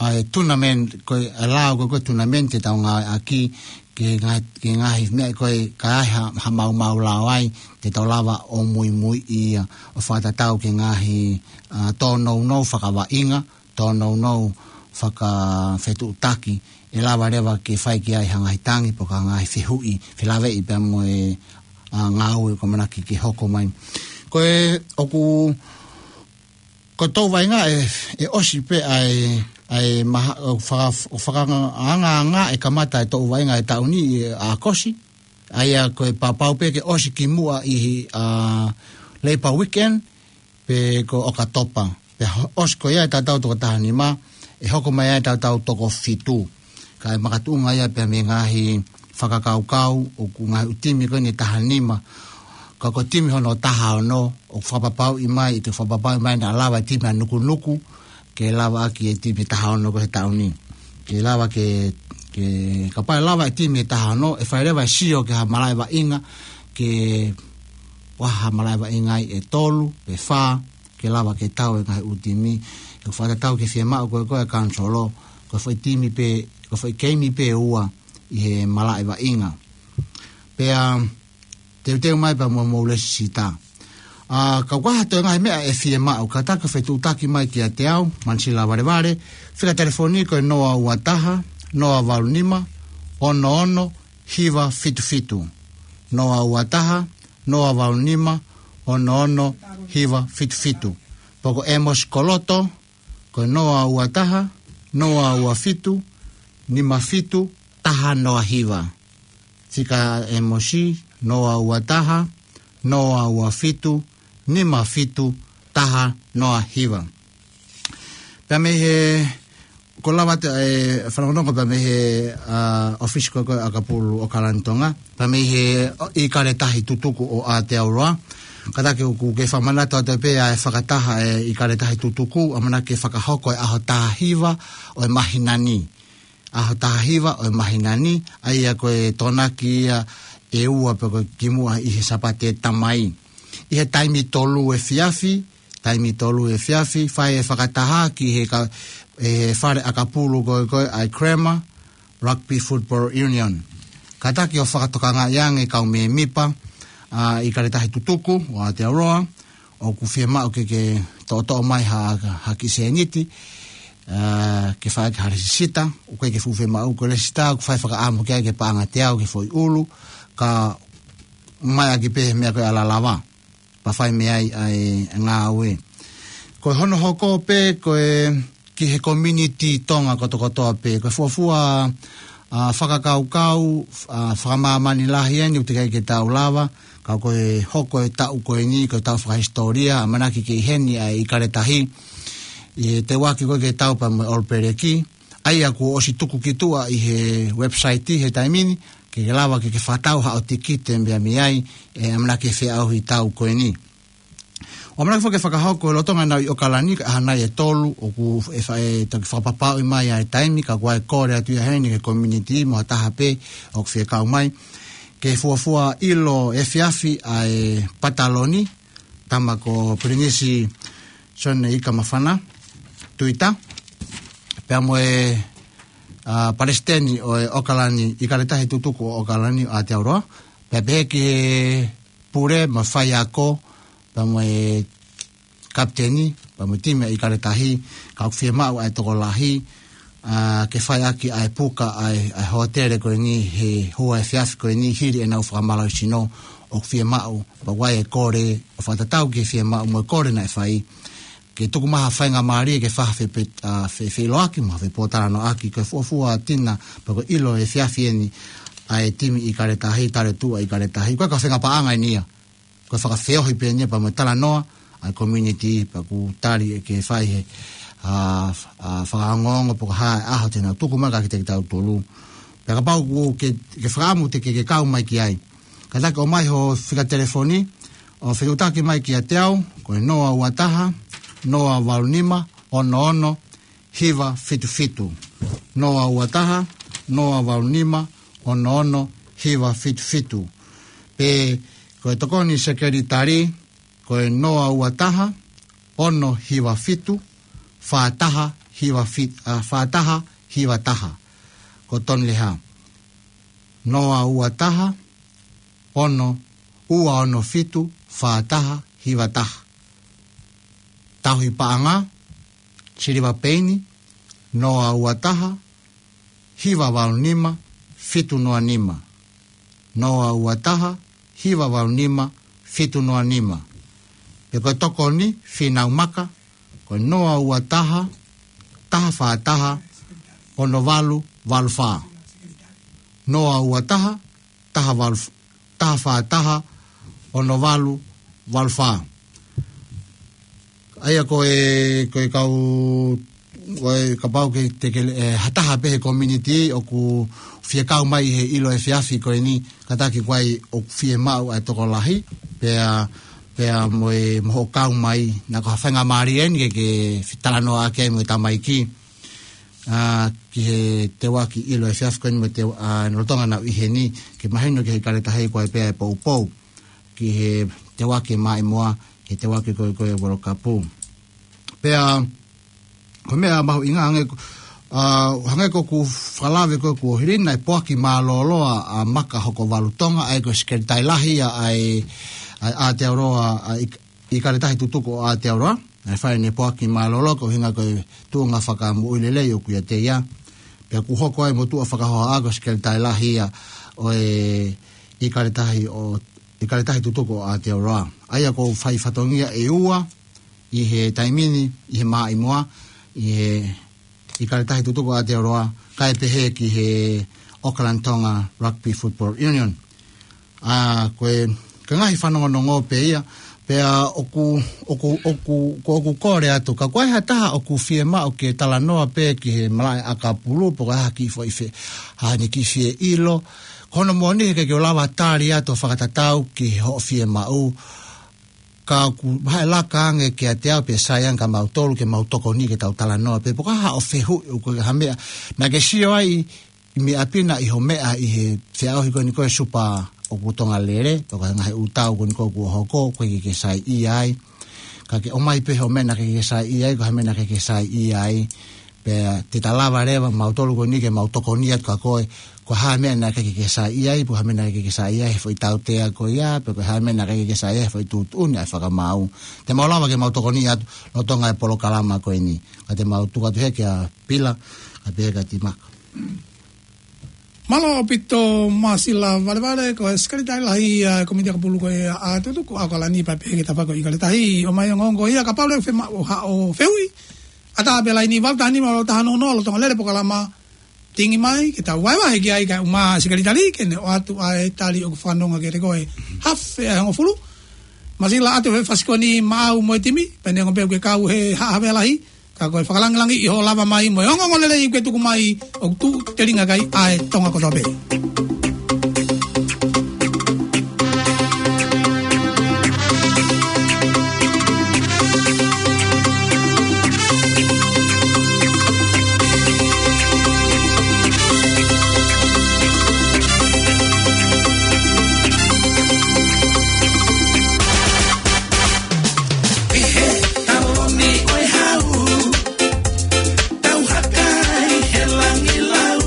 ʻa e tournament, ko e, ʻa e lao ko e, ko e tournament te tau ngāueʻaki, ki he ngaahi, ki he ngaahi meʻa ko ē ka ai ha, ha maumau lao ai, te tau lava ʻo muimuiʻi ia, ʻo fakatatau ki he ngaahi, ʻa, tōnounou fakavaʻinga, tōnounou fakafetuʻutaki, ʻe lava leva ke fai ki ai ha ngaahi tangi, pe ko ha ngaahi fehuʻi, felāveʻi pea mo e, ʻa, ngāue ʻoku ʻamanaki ke hoko mai. Ko e, ʻoku, ko e tau vaʻinga ʻe, ʻe ʻosi pē ʻa e, ʻa e maha-, ʻo faka-, ʻo fakaangaanga ʻe kamata e tau vaʻinga ʻi he taʻu ni ʻi ʻAokosi. ʻA ia ko e papau pē ke ʻosi kimuʻa ʻi he, ʻa, Labour Weekend, pe ko ʻOkatopa. Pea ho-, ʻosi ko ia ʻa e taʻu toko taha nima, ʻe hoko mai ʻa e taʻu toko fitu. Kae makatuʻunga ia pea mei he ngaahi fakakaukau ʻoku ngaahi ʻū timi ko eni ʻe taha nima. Ka ko e timi hono taha ono, ʻoku fakapapauʻi mai, ʻe fakapapauʻi mai naʻa lava e timi ʻa Nukunuku, ke lavaʻaki e timi taha ono ko ē he taʻu ni. Ke lava ke, ke, kapau ʻe lava e timi ʻe taha ono, ʻe fai leva e sio ki ha malaʻe vaʻinga, ke ʻi ai ha malaʻe vaʻinga ʻe tolu, pe fā, ke lava ke tau e ngaahi ʻū timi, ʻe fakatatau ki he fiemaʻu ko ē ko ē ʻa e kōniseli, ko e foʻi timi pē, ko e foʻi keimi pē ʻe ua ʻi he malaʻe vaʻinga. Pea teuteu mai pea mo hoʻomou lēsisita. ʻA, ka ʻoku ʻi ai ha toe ngaahi meʻa ʻe fiemaʻu, kātaki ʻo fetuʻutaki mai kiate au, Manisila Valevale, fika telefoni ko e noa ua taha, noa valu nima, ono ono, hiva fitu fitu. Noa ua taha, noa valu nima, ono ono, hiva fitu fitu. Pe ko ʻEmosi Koloto, ko e noa ua taha, noa ua fitu, nima fitu, taha noa hiva. Fika ʻEmosi, noa ua taha, noa ua fitu, nima fitu, taha noa hiva. Pea mei he, ʻoku lava atu e fanongonongo pea mei he, ʻa, ʻōfisi ko ē ko ē ʻakapulu ʻo ʻOkalani Tonga, pea mei he, ʻo, ʻIkale Tahi Tutuku ʻo Aotearoa. Kātaki ʻoku ke fakamanatu atu pē ʻa e fakataha ʻa e ʻIkale Tahi Tutuku, ʻamanaki ke fakahoko he ʻaho taha hiva ʻo e māhina ni. ʻAho taha hiva ʻo e māhina ni, ʻa ia ko e Tokonaki ia ʻe ua pe ko e kimuʻa ʻi he Sāpate ʻe tau mai. ʻI he taimi tolu efiafi, taimi tolu efiafi, fai e fakataha ki he ka-, ʻe he fale ʻakapulu ko ē ko ē ʻa e Cranmer Rugby Football Union. Kātaki ʻo fakatokangaʻi ange kau mēmipa, ʻa, ʻIkale Tahi Tutuku ʻo Aotearoa, ʻoku fiemaʻu ke, ke toʻotoʻo mai ha, ha kiʻi sēniti, ʻa, ke fai ki ha lēsisita, ʻoku ʻikai ke fuʻu fiemaʻu ko e lēsisita, ʻoku fai fakaʻamu ki ai ke paʻanga teau ki he foʻi ʻulu, kae ʻomai ʻaki pē he meʻa ko ē ʻa e lalava. Pea fai mei ai ʻa e ngāue. Ko hono hoko pē ko e ki he community Tonga kotokotoa pē. Ko e fuofua, ʻa, fakakaukau, ʻa, fakamāmani lahi eni ʻoku teʻeki ai ke tau lava, ka ko e hoko e taʻu ko eni, ko e taʻu fakahisitōlia, ʻamanaki ke ʻi heni ʻa e ʻIkale Tahi. ʻI he teuaki ko ē ke tau pea mo e All Blacks, ʻa ia kuo ʻosi tuku ki tuʻa ʻi he website he taimi ni, ke ke lava ke ke fakatau haʻo tikite mei ai, ʻe ʻamanaki ke feʻauhi e taʻu ko eni. ʻOku ʻamanaki foki ke fakahoko he lolotonga ʻenau ʻi ʻOkalani, ka ʻi he ʻaho nai ʻe tolu, ʻoku ʻe fa-, ʻe toki fakapapauʻi mai ʻa e taimi, ka ʻoku ʻi ai e kole atu ia heni ki he community, mo ha taha pē ʻoku fie kau mai. Ke fuofua ʻilo efiafi ʻa e pataloni, tama ko Pilinisi Sione Ikamafana Tuita, pea mo e ʻa, palesiteni ʻo e ʻOkalani, ʻIkale Tahi Tutuku ʻo ʻOkalani ʻo Aotearoa. Pea pehē ki he pule mo e faiako, pea mo e kapiteni, pea mo e timi ʻa ʻIkale Tahi, ka ʻoku fiemaʻu ʻa e tokolahi, ʻa, ke fai ʻaki ʻa e puka ʻa e, ʻa e hōtele ko eni he houa efiafi ko eni hili ʻenau fakamālohisino ʻoku fiemaʻu, pea ʻoku ʻi ai e kole ʻo fakatatau ki he fiemaʻu mo e kole naʻe fai. Ke tuku mai ha faingamālie ke fai ha fepe-, ʻa, fe-, feʻiloaki mo ha fepōtalanoaʻaki ko e fuofua tina pea ko e ʻilo efiafi eni ʻa e timi ʻIkale Tahi, tale tuʻa ʻIkale Tahi. Ko e ka fenga paʻanga eni ia. Ko e fakafeohi pē eni ia pea mo e talanoa ʻa e community pea ʻoku tali ʻe ke fai he, ʻa, ʻa, fakaongoongo pe ko e hā e ʻaho te nau tuku mai kiate kitautolu. Pea kapau ʻoku ke, ke fakaʻamu te ke, ke kau mai ki ai. Kātaki ʻomai ho fika telefoni, ʻo fetuʻutaki mai kiate au, ko e noa ua taha, noa valu nima, ono ono, hiva fitu fitu. Noa ua taha, noa valu nima, ono ono, hiva fitu fitu. Pe ko e tokoni sekelitali, ko e noa ua taha, ono hiva fitu, fā taha hiva fitu, ʻa, fā taha hiva taha. Ko Toni Leha. Noa ua taha, ono, ua ono fitu, fā taha hiva taha. Tauhi paʻanga, Siliva Peini, noa ua taha, hiva valu nima, fitu noa nima. Noa ua taha, hiva valu nima, fitu noa nima. Pe ko e tokoni, Fīnau Maka, ko e noa ua taha, taha fā taha, ono valu valu fā. Noa ua taha, taha valu, taha fā taha, ono valu valu fā. ʻA ia ko e, ko e kau, ko e kapau ke te ke, ʻe, ha taha pē he community ʻoku fie kau mai he ʻilo efiafi ko eni, kātaki ʻoku ʻi ai ʻoku fiemaʻu ʻa e tokolahi, pea, pea mo e, mo hoʻo kau mai, naʻa ko ha faingamālie eni ke, ke fetalanoaʻaki ai mo e tamaiki. ʻA, ki he teuaki ʻilo efiafi ko eni mo e teu-, ʻa, lolotonga naʻa nau ʻi heni, ke mahino ki he ʻIkale Tahi ko e pea e poupou, ki he teuaki maʻimoa, ki he teuaki ko e, ko e World Cup. Pea, ko e meʻa mahuʻinga hangē ko, ʻa, hangē ko ʻeku fakalave ko ē kuo hilí, naʻe poaki mālōlō ʻa Maka Hokovalu Tonga, ʻa ia ko e sekelitali lahi ʻa, ʻa e, ʻa e Aotearoa, ʻa e ʻIk-, ʻIkale Tahi Tutuku ʻo Aotearoa, naʻe fai ʻene poaki mālōlō koeʻuhinga ko e tuʻunga fakamoʻui lelei ʻoku ʻiate ia. Pea kuo hoko ai mo tuʻa fakahohaʻa ko e sekelitali lahi ia ʻo e ʻIkale Tahi ʻo, ʻIkale Tahi Tutuku ʻo Aotearoa. ʻA ia ʻoku fai fatongia ʻe ua ʻi he taimi ni, ʻi he maʻimoa, ʻi he ʻIkale Tahi Tutuku ʻo Aotearoa, kae pehē ki he Auckland Tonga Rugby Football Union. ʻA, ko e, ko e ngaahi fanongonongo pē ia, pea ʻoku, ʻoku, ʻoku, ko ʻeku kole atu, ka ko e hā ha taha ʻoku fiemaʻu ke talanoa pē ki he malaʻe ʻakapulu, pe ko e hā ha kiʻi foʻi fe-, ha ni kiʻi fie ʻilo, ko hono moʻoni he ʻikai ke u lava tali atu ʻo fakatatau ki hoʻo fiemaʻu, ka ʻoku vahe laka ange kiate au pe sai ange kia mautolu ke mau tokoni ke tau talanoa pē pe ko e hā hoʻo fehuʻi pe ko e hā ha meʻa. Naʻa ke sio ai ʻi meʻa pē naʻe ʻi ho meʻa ʻi he feʻauhi ko eni ko e Super ʻoku Tonga Lele, pe ko e ngaahi ʻū tau ko eni ko ē kuo hoko, ʻoku ʻikai ke ke saiʻia ai. Ka ke ʻomai pē ho meʻa naʻa ke ʻikai ke saiʻia ai, ko e hā ha meʻa naʻa ke ʻikai ke saiʻia ai. Pea te ta lava leva mautolu ko eni ke mau tokoni atu kia koe, ko e hā ha meʻa naʻe ʻikai ke ke saiʻia ai, pe ko e hā ha meʻa naʻe ʻikai ke ke saiʻia ai he foʻi tautea ko ia, pe ko e hā ha meʻa naʻe ʻikai ke ke saiʻia ai he foʻi tuʻutuʻuni ʻa e fakamaau. Te mau lava ke mau tokoni atu lolotonga e polokalama ko eni. Ka te mau tuku atu heni kia Pila, kae pehē kia Timaka. Mālō ʻaupito Māsila Valevale, ko e sekelitali lahi ʻa e komiti ʻakapulu ko ia ʻa Tutuku ʻa Aukalani, pea pehē ki he tafaʻaki ʻo ʻIkale Tahi. ʻOmai ongoongo ia, kapau leva ʻoku fiemaʻu haʻo fehuʻi, ʻatā pē laini valu taha nima valu taha noa noa, lolotonga lele polokalama, tingi mai, ke tau vahevahe ki ai kae ʻumaʻā e sekelitali, ke ne ʻoatu ʻa e tali ʻoku fanongo kiate koe. Hafe ʻa e hongofulu. Māsila, ʻoatu e fasikoni maʻau mo e timi, pea neongo pē ʻoku ke kau he haʻa havea lahi, ka ko e fakalangilangiʻi hoʻo lava mai mo e ongoongo lelei ʻoku ke tuku mai, ʻoku tuʻu telinga ki ai ʻa e Tonga kotoa pē. ʻI he taloni ʻo e hau, tau haka ʻi he langi lau.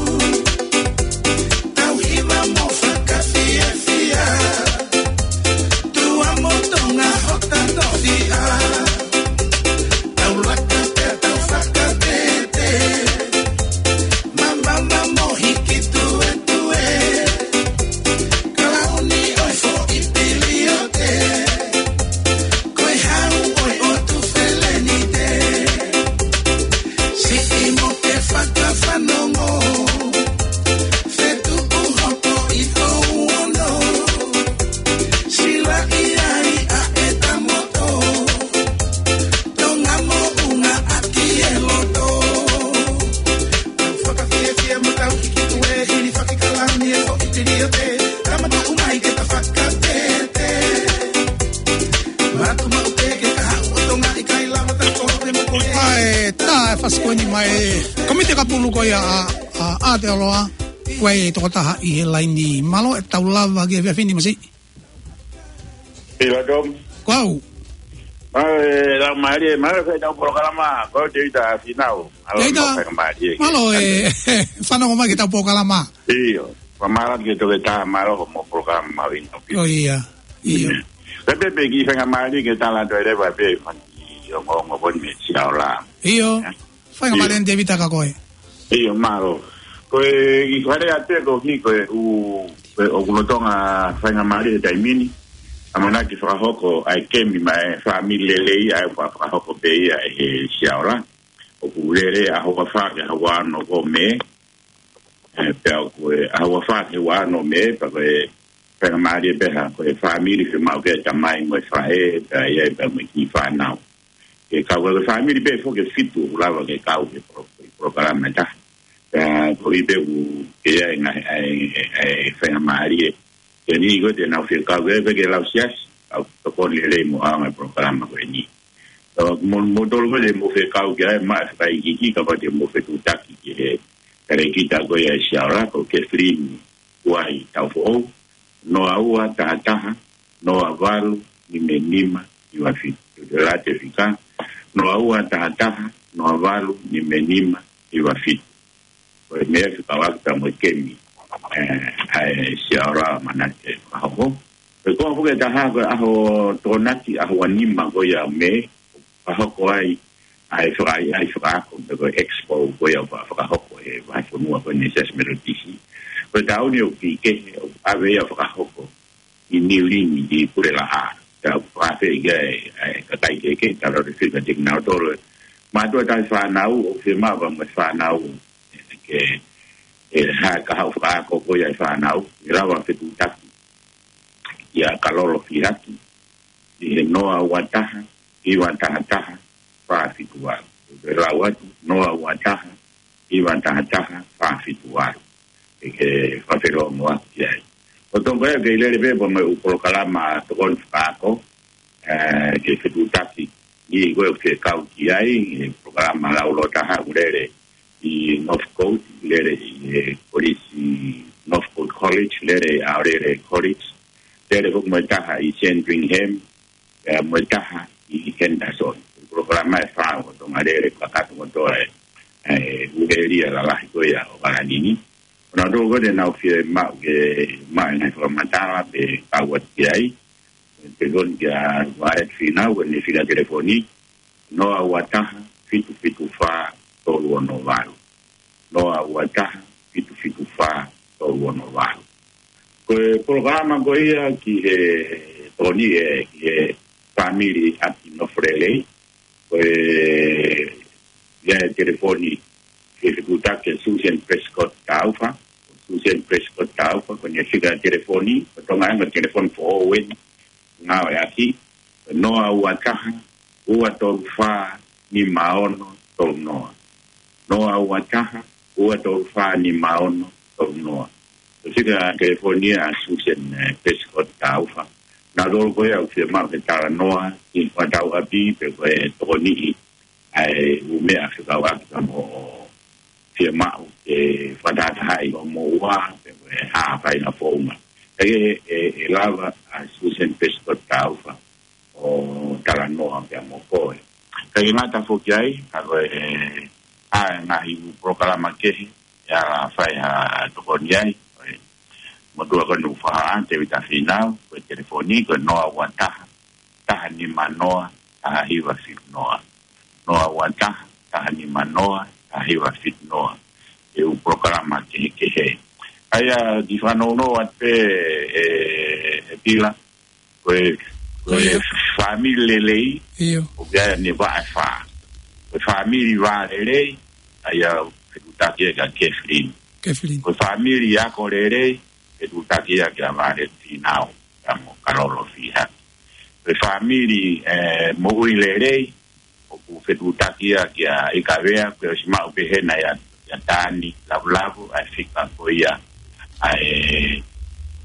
Pasikueni mai, Komiti Kapulu ko ia ʻa, ʻa, ʻa Aotearoa, ko e tokotaha ʻi he laini. Mālō e tau lava ki he efiafi ni, Masiʻi. Pila Tom. Ko au. Mālō e lau mālie, mālō e fai tau polokalama, ko Tēvita Fīnau. Mālō Tēvita, e mau fai mālie. Mālō e fanongo mai ki he tau polokalama. ʻIo, mālō ki he toketā, mālō mo e polokalama mahuʻinga pē. ʻIo, ʻio. Pea pē, pē ki he fai mālie ke tala atu e leva pē, fani, ʻio, mo, mo, mo, me, sia ola. ʻIo, fai mālie ʻe Tēvita kia koe. ʻIo, mālō. Ko e, ʻi fare atu ko ki ko e, ʻū, ko e, ʻoku lolotonga fai mālie he taimi ni. ʻAmanaki fakahoko ʻa e kemi maʻa e fāmili lelei, ʻa ia ʻoku fakahoko pē ia he sia ola. ʻOku lele ʻaho ua fā ki he ʻaho ua ono ko Mē. ʻE, pea ko e ʻaho ua fā ki he ua ono Mē, pea ko e fai mālie pē ha, ko e fāmili fiemaʻu ke tamai mo e faʻē, pea ʻi ai pē mo e kiʻi fānau. Ke kau ko e fāmili pē foki ʻe fitu, ʻoku lava ke kau he polo-, he polokalama ʻe taha. Pea ko e pē ʻoku ke ʻi ai ngaahi, ʻa e, ʻa e, ʻa e fai mālie. Ke ni ko te nau fie kau, ke, ke lau siasi, kau tokoni lelei mo ʻaonga e polokalama ko eni. Ā, mo, mo tolu ko te mo fie kau ki ai, mo fai ki ki, kapau te mo fetuʻutaki ki he, kare kita ko ia ʻi sia ola, ko Kathleen Kuai Taufoʻou, noa ua taha taha, noa valu, nima nima, hiva fitu. Te la te fika, noa ua taha taha, noa valu, nima nima, hiva fitu. Ko e meʻa fekauʻaki pea mo e kemi, ē, ʻa e sia ola ʻamanaki ke fakahoko. Ko e konga foki ʻe taha ko e ʻaho Tokonaki, ʻaho ua nima ko ia Mē, fakahoko ai, ʻa e faka-, ʻa e fakaako, pe ko e expo ko ia ʻoku fakahoko he vahefonua ko eni Siasi Metotisi. Ko e taʻu ni ʻoku kehe, ʻoku ʻave ia ʻo fakahoko ʻi Niu Lini ʻi Pulelaʻā. Pea ʻoku fakafeʻiloaki ai ʻa e kakai kehekehe, talu atu e fika kinautolu. Mātuʻa taha fānau, ʻoku fiemaʻu pea mo e fānau, ke, ʻe, ha, ka haʻu fakaako ko ia e fānau, ʻe lava fetuʻutaki kia Kalolo Fihaki, ʻi he noa ua taha, hiva taha taha, fā fitu valu. ʻE lau atu, noa ua taha, hiva taha taha, fā fitu valu. ʻE ke fakafelongoaki ai. ʻO toko ia ke lele pē pea mo e ʻū polokalama tokoni fakaako, ē, ke fetuʻutaki. ʻI ko e fekau ki ai, ʻe polokalama laulau taha ʻoku lele ʻi Northcote, lele ʻi he kolisi Northcote College, lele ʻi Aorere College, lele foki mo e taha ʻi Sandringham, ē, mo e taha ʻi Henderson. Polokalama ʻe fā ʻoku tokanga lele kakato kotoa ē, ē, ʻū ʻēlia lalahi ko ia ʻo ʻAokalani ni. Ko nautolu ko ē te nau fiemaʻu ke maʻu e ngaahi fakamatala pe kau atu ki ai, telefoni kia Violet Fīnau, ko ʻene fika telefoni, noa ua taha, fitu fitu fā, tolu ono valu. Noa ua taha, fitu fitu fā, tolu ono valu. Ko e polokalama ko ia ki he tokoni ē, ki he fāmili ʻaki nofo lelei, ko e, ʻi ai e telefoni, ke fetuʻutaki kia Susan Prescott Taufa, Susan Prescott Taufa, ko ʻene fika telefoni, ko Tonga ʻa e telefoni foʻou eni, ngāueʻaki, noa ua taha, ua tolu fā, nima ono tolu noa. Noa ua taha, ua tolu fā, nima ono tolu noa. Ko e fika telefoni ʻa Susan, ē, Prescott Taufa. Nautolu ko ia ʻoku fiemaʻu ke talanoa, ʻi he fakatauʻapi, pe ko e tokoniʻi, ʻa e ʻū meʻa fekauʻaki pea mo fiemaʻu ke fakatahatahaʻi ʻo mo ua, pe ko e hā ha faʻahinga founga. ʻE, ʻe, ʻe lava ʻa Susan Prescott Taufa ʻo talanoa pea mo koe. Kae ngata foki ai, ka ko e, ʻa e ngaahi polokalama kehe, ʻe ala fai ha tokoni ai, ko e motuʻa ko eni ʻoku fakahā, Tēvita Fīnau, ko e telefoni, ko e noa ua taha, taha nima noa, taha hiva fitu noa. Noa ua taha, taha nima noa, taha hiva fitu noa. ʻE ʻū polokalama kehekehe. ʻA ia, kiʻi fanongo atu pē, ē, ē Pila, ko e, ko e fāmili lelei, ʻio, ʻoku ʻi ai ʻene vaʻe ʻe fā. Ko e fāmili vā lelei, ʻa ia fetuʻutaki ia kia Kathleen. Kathleen. Ko e fāmili ako lelei, fetuʻutaki ia kia Violet Fīnau, pea mo Kalolo Fihaki. Ko e fāmili, ē, moʻui lelei, ʻoku fetuʻutaki ia kia ʻIkavea, ko e ʻosi maʻu pē hena ia, ia Tani Lavulavu, ʻa e fika ko ia, ʻa e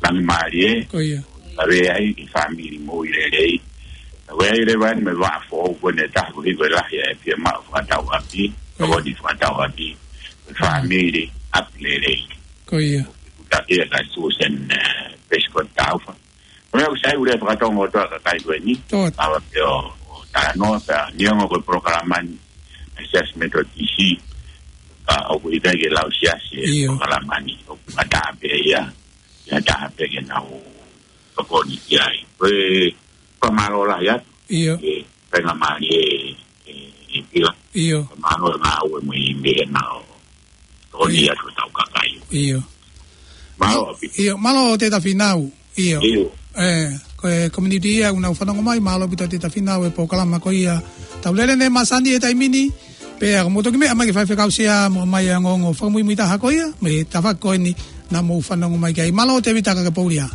Langimālie, ko ia. ʻIkavea ʻi he fāmili moʻui lelei. Ko ia ʻi he leva eni mo e vaʻa foʻou ko eni ʻe taha ko hiko e lahi ʻa e fiemaʻu fakatauʻapi, Ko ia. Tokoni fakatauange ki he fāmili, ʻapi lelei. Ko ia. Kuta kia ka Susan, eh, Prescott Taufa. Ko ia, ʻoku sai ʻa e fakatonga ʻo e kakai ko eni. Tō. Pea ʻoku ou talanoa pē, neongo ko e polokalama ni ʻa e Siasi Metotisi, ka ʻoku ʻikai ke lau siasi e, ʻio, polokalama ni, ʻoku ngata pē ia, ia taha pē ke nau tokoni ki ai. Ko e fakamālō lahi atu. ʻIo. Ke faingamālie e, e, e pila. ʻIo. Fakamālō e ngāue mo e meʻa naʻa nau tokoni, ʻio, atu ki hotau kakai. ʻIo. Mālō ʻaupito. ʻIo, mālō Tēvita Fīnau. ʻIo. ʻIo. ʻE, ko e community ia ʻoku nau fanongo mai, mālō ʻaupito Tēvita Fīnau he polokalama ko ia Tau Lele Ne Māsani he taimi ni, pea ʻoku mou toki meʻa mai ki he faifekau Sea mo ʻomai e ongoongo fakamuimui taha ko ia, mei he tafaʻaki ko eni naʻa mou fanongo mai ki ai. Mālō Tēvita, ka ke poulia.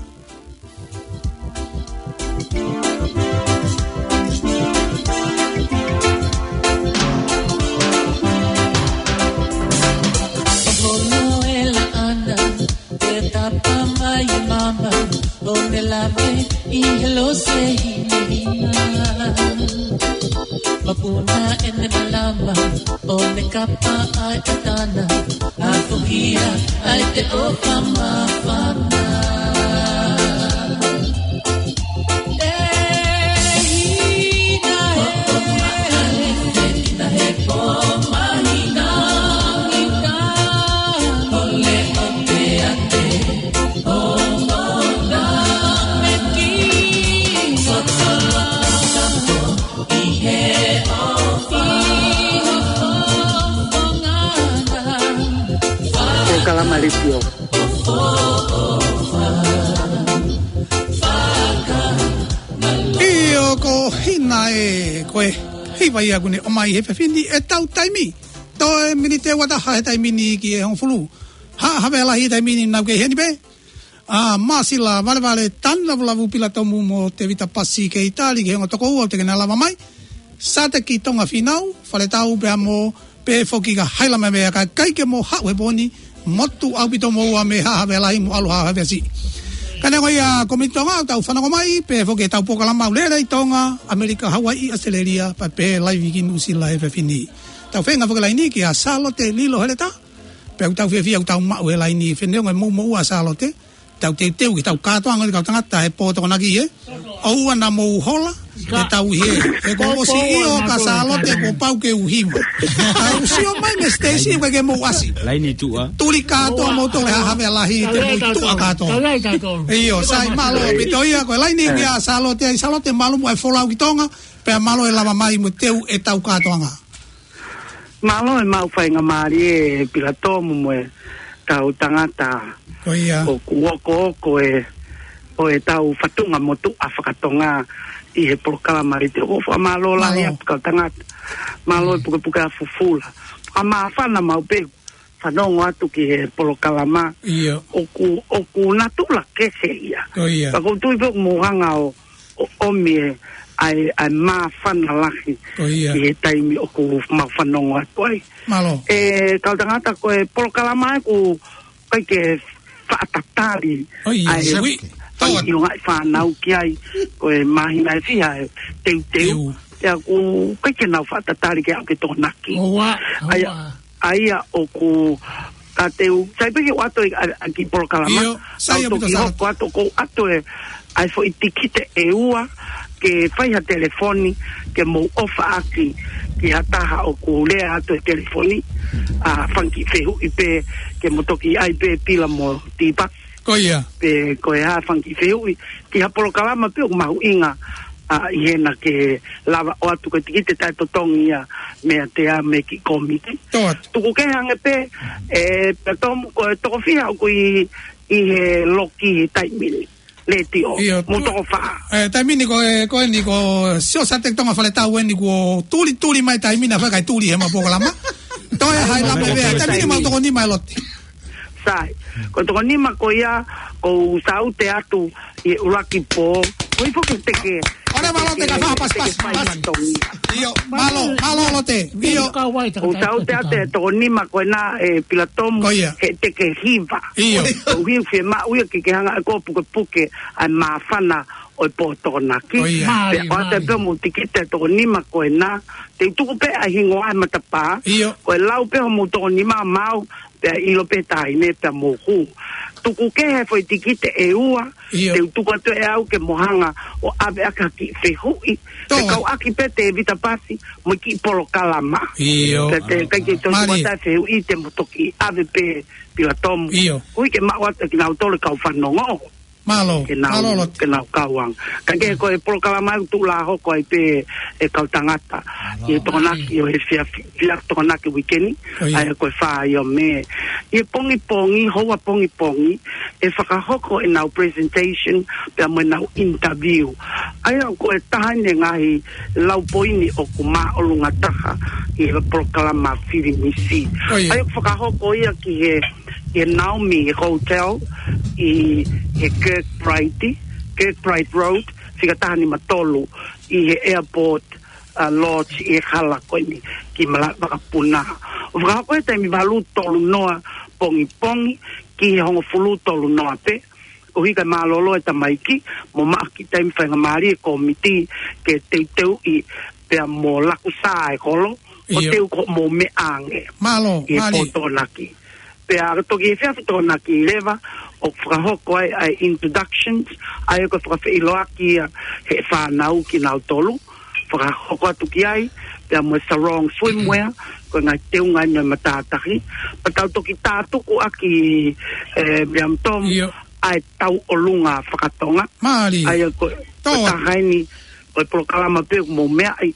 Holo e laʻana, te tapa mai mama, ʻo ne lave ʻi he lose hinehina. Mapuna ʻene malama, ʻo ne kapa ʻa e ʻatana, ʻa e fuhia ʻa e te ʻofa māfana. Ko e kalama letiō. ʻIo, ko Hina ē, ko e hiva ia ʻoku ne ʻomai he efiafi ni ʻetau taimi. Toe miniti ʻe ua taha he taimi ni ki he hongofulu. Haʻa Havea Lahi he taimi ni nau kei heni pē. ʻA Māsila Valevale, Tana Vulavu Pilatomu mo Tēvita Pasi kei tali ki he ongo tokoua ʻoku teʻeki ke nau lava mai. Sāteki Tonga Fīnau, Faletau pea mo pehē foki kia Haila Mevea, ka ʻikai ke mou haʻu he pō ni, motuʻa ʻaupito moua mei Haʻa Havea Lahi mo ʻalu Haʻa Havea Siʻi. Ka neongo ia, ko e mei Tonga ʻoku tau fanongo mai, pehē foki ʻetau polokalama ʻoku lele ʻi Tonga, ʻAmelika, Hauaiʻi, ʻAositelēlia, pea pehē live ki Nuʻusila he efiafi ni. Tau feinga foki he laini kia Sālote Lilo Heleta, pea ʻoku tau fiefia ʻoku tau maʻu he laini, he neongo e mou moua ʻa Sālote, tau teuteu ki heʻetau kātoanga ʻo e kau tangata he pō Tokonaki ē. ʻOua naʻa mou hola, ke tau ʻi hē. He kuo u ʻosi ʻio kia Sālote kuo pau ke u hiva. Ka u sio mai mei he siteisi ʻoku ʻikai ke mou ʻasi. Laini tuʻa. Tuli kātoa moutolu he Haʻa Havea Lahi, te mou tuʻa kātoa. ʻIo, sai, mālō ʻaupito ia, ko e laini kia Sālote, ʻai Sālote, mālō muʻa e folau ki Tonga, pea mālō e lava mai mo teu ʻetau kātoanga. Mālō e maʻu faingamālie Pilatomu mo e kau tangata. Ko ia. ʻOku okooko e, ʻo ʻetau fatunga motuʻa faka-Tonga ʻi he polokalama letiō. ʻOku fakamālō lahi atu kau tangata. Mālō e pukepuke ʻa fufula. Fakamāfana maʻu pē fanongo atu ki he polokalama. ʻIo. ʻOku, ʻoku natula kehe ia. Ko ia. Ka ʻoku ou tui pē ʻoku mou hanga ʻo ʻo ʻomi e, ʻa e, ʻa e māfana lahi. Ko ia. ʻI he taimi ʻoku mau fanongo atu ai. Mālō. E, kau tangata ko e polokalama ē ʻoku ʻikai ke faʻa tatali. ʻIo, ʻa e, ui. Fai ʻio ngaahi fānau ki ai. Ko e māhina ʻe fiha e teuteu. Teu. Pea ʻoku ʻikai ke nau faʻa tatali ke aʻu ki Tokonaki. ʻOua, ʻa ia, ʻoua. ʻA ia ʻoku ka teu, sai pē ke u ʻoatu ʻa, ʻa e kiʻi polokalama. ʻIo, sai ʻaupito Sālote. Hoko atu ʻoku ou ʻoatu e, ʻa e foʻi tikite ʻe ua, ke fai ha telefoni, ke mou ʻofaʻaki, ki ha taha ʻoku lea atu he telefoni, ʻa, fanga kiʻi fehuʻi pē, ke mou toki ʻai pē Pila mo Tipa. Ko ia. Pe ko e hā fanga kiʻi fehuʻi, ki ha polokalama pē ʻoku mahuʻinga, ʻa, ʻi hena ke lava ʻoatu ko e tikite taʻetotongi ia meiate au mo e kiʻi kōmiti. Tō atu. Tuku kehe ange pē, e, Pilatomu ko e toko fiha ʻoku ʻi, ʻi he loki he taimi ni. Letiō. ʻIo, mou tu-, toko fā. E, taimi ni ko e, ko eni ko Sio Sāteki Tonga Faletau eni kuo tulituli mai taimi ni, ʻa fai kai tuli he ma polokalama. Toe Haila Mevea, taimi ni mau toko nima ʻe Lote. Sai. Ko e toko nima ko ia, ʻoku ou saute atu ʻi he ʻuluaki pō. Ko e foki teke. ʻOua mālō Lote ka faha pasipasi. Teke fai matongi. ʻIo, mālō, mālō Lote. ʻIo. ʻOku ou saute atu he toko nima ko ena ʻe Pilatomu. Ko ia. He teke hiva. ʻIo. ʻOku ou hiu fiemaʻu ia ke ke hanga ʻe koe ʻo pukepuke ʻa e māfana ʻo e pō Tokonaki. ʻIo. Mālie, pea ʻoatu pē hoʻomou tikite ʻe toko nima ko ena, te u tuku pē ʻa e hingoa ʻa e matapā. ʻIo. Ko e lau pē hoʻomou toko nima maʻau, pea ʻilo pē taimi ē pea mou hū. Tuku kehe foʻi tikite ʻe ua, ʻio, te u tuku atu ʻe au ke mou hanga ʻo ʻave ʻaki ha kiʻi fehuʻi. Toe. Fekauʻaki pē Tēvita Pasi, mo e kiʻi polokalama. ʻIo. Pea te, ʻikai ke toe tuku atu ha fehuʻi, te mou toki ʻave pē Pilatomu. ʻIo. Koeʻuhi ke maʻu atu ʻe kinautolu e kau fanongo. Mālō, ke nau, mālō Lote, ke nau kau ange. Ka ke ko e polokalama ʻoku tuʻu lā hoko ai pē ʻe kau tangata. Mālō. ʻI he Tokonaki, ʻio, he fia, fia Tokonaki uike ni. ʻIo. ʻA ia ko e fā ia ʻo Mē. ʻI he pongipongi, houa pongipongi, ʻe fakahoko ʻenau presentation, pea mo ʻenau interview. ʻA ia ko e taha eni e ngaahi lau poini ʻoku māʻolunga taha ʻi he polokalama fili misi. ʻIo. ʻA ia ʻoku fakahoko ia ki he ʻi he Naomi Hotel ʻi he Kirkbride, Kirkbride Road, fika taha nima tolu ʻi he airport, uh, lodge ʻi he hala ko eni ki Malaʻevakapuna. ʻO fakahoko he taimi valu tolu noa pongipongi ki he hongofulu tolu noa pē, koeʻuhi kae mālōlō e tamaiki, mo maʻu ha kiʻi taimi faingamālie e kōmiti ke teuteuʻi pea mo laku sā e kolo, ʻo, ʻio, teu ko mo me ange. Mālō, ʻi he, mālie, pō Tokonaki. Pea toki he efiafi Tokonaki leva, ʻoku fakahoko ai ʻa e introductions, ʻa ia ko e fakafeʻiloaki ia he fānau kinautolu, fakahoko atu ki ai, pea mo e sarong swimwear, ko e ngaahi teunga eni ʻo e matātahi, pea tau toki tātuku ʻaki, ē, William Tom, ʻio, ʻa e tauʻolunga fakatonga. Mālie. ʻA ia ko, ko e, tō, taha eni ʻo e polokalama pē ʻoku mou meaʻi,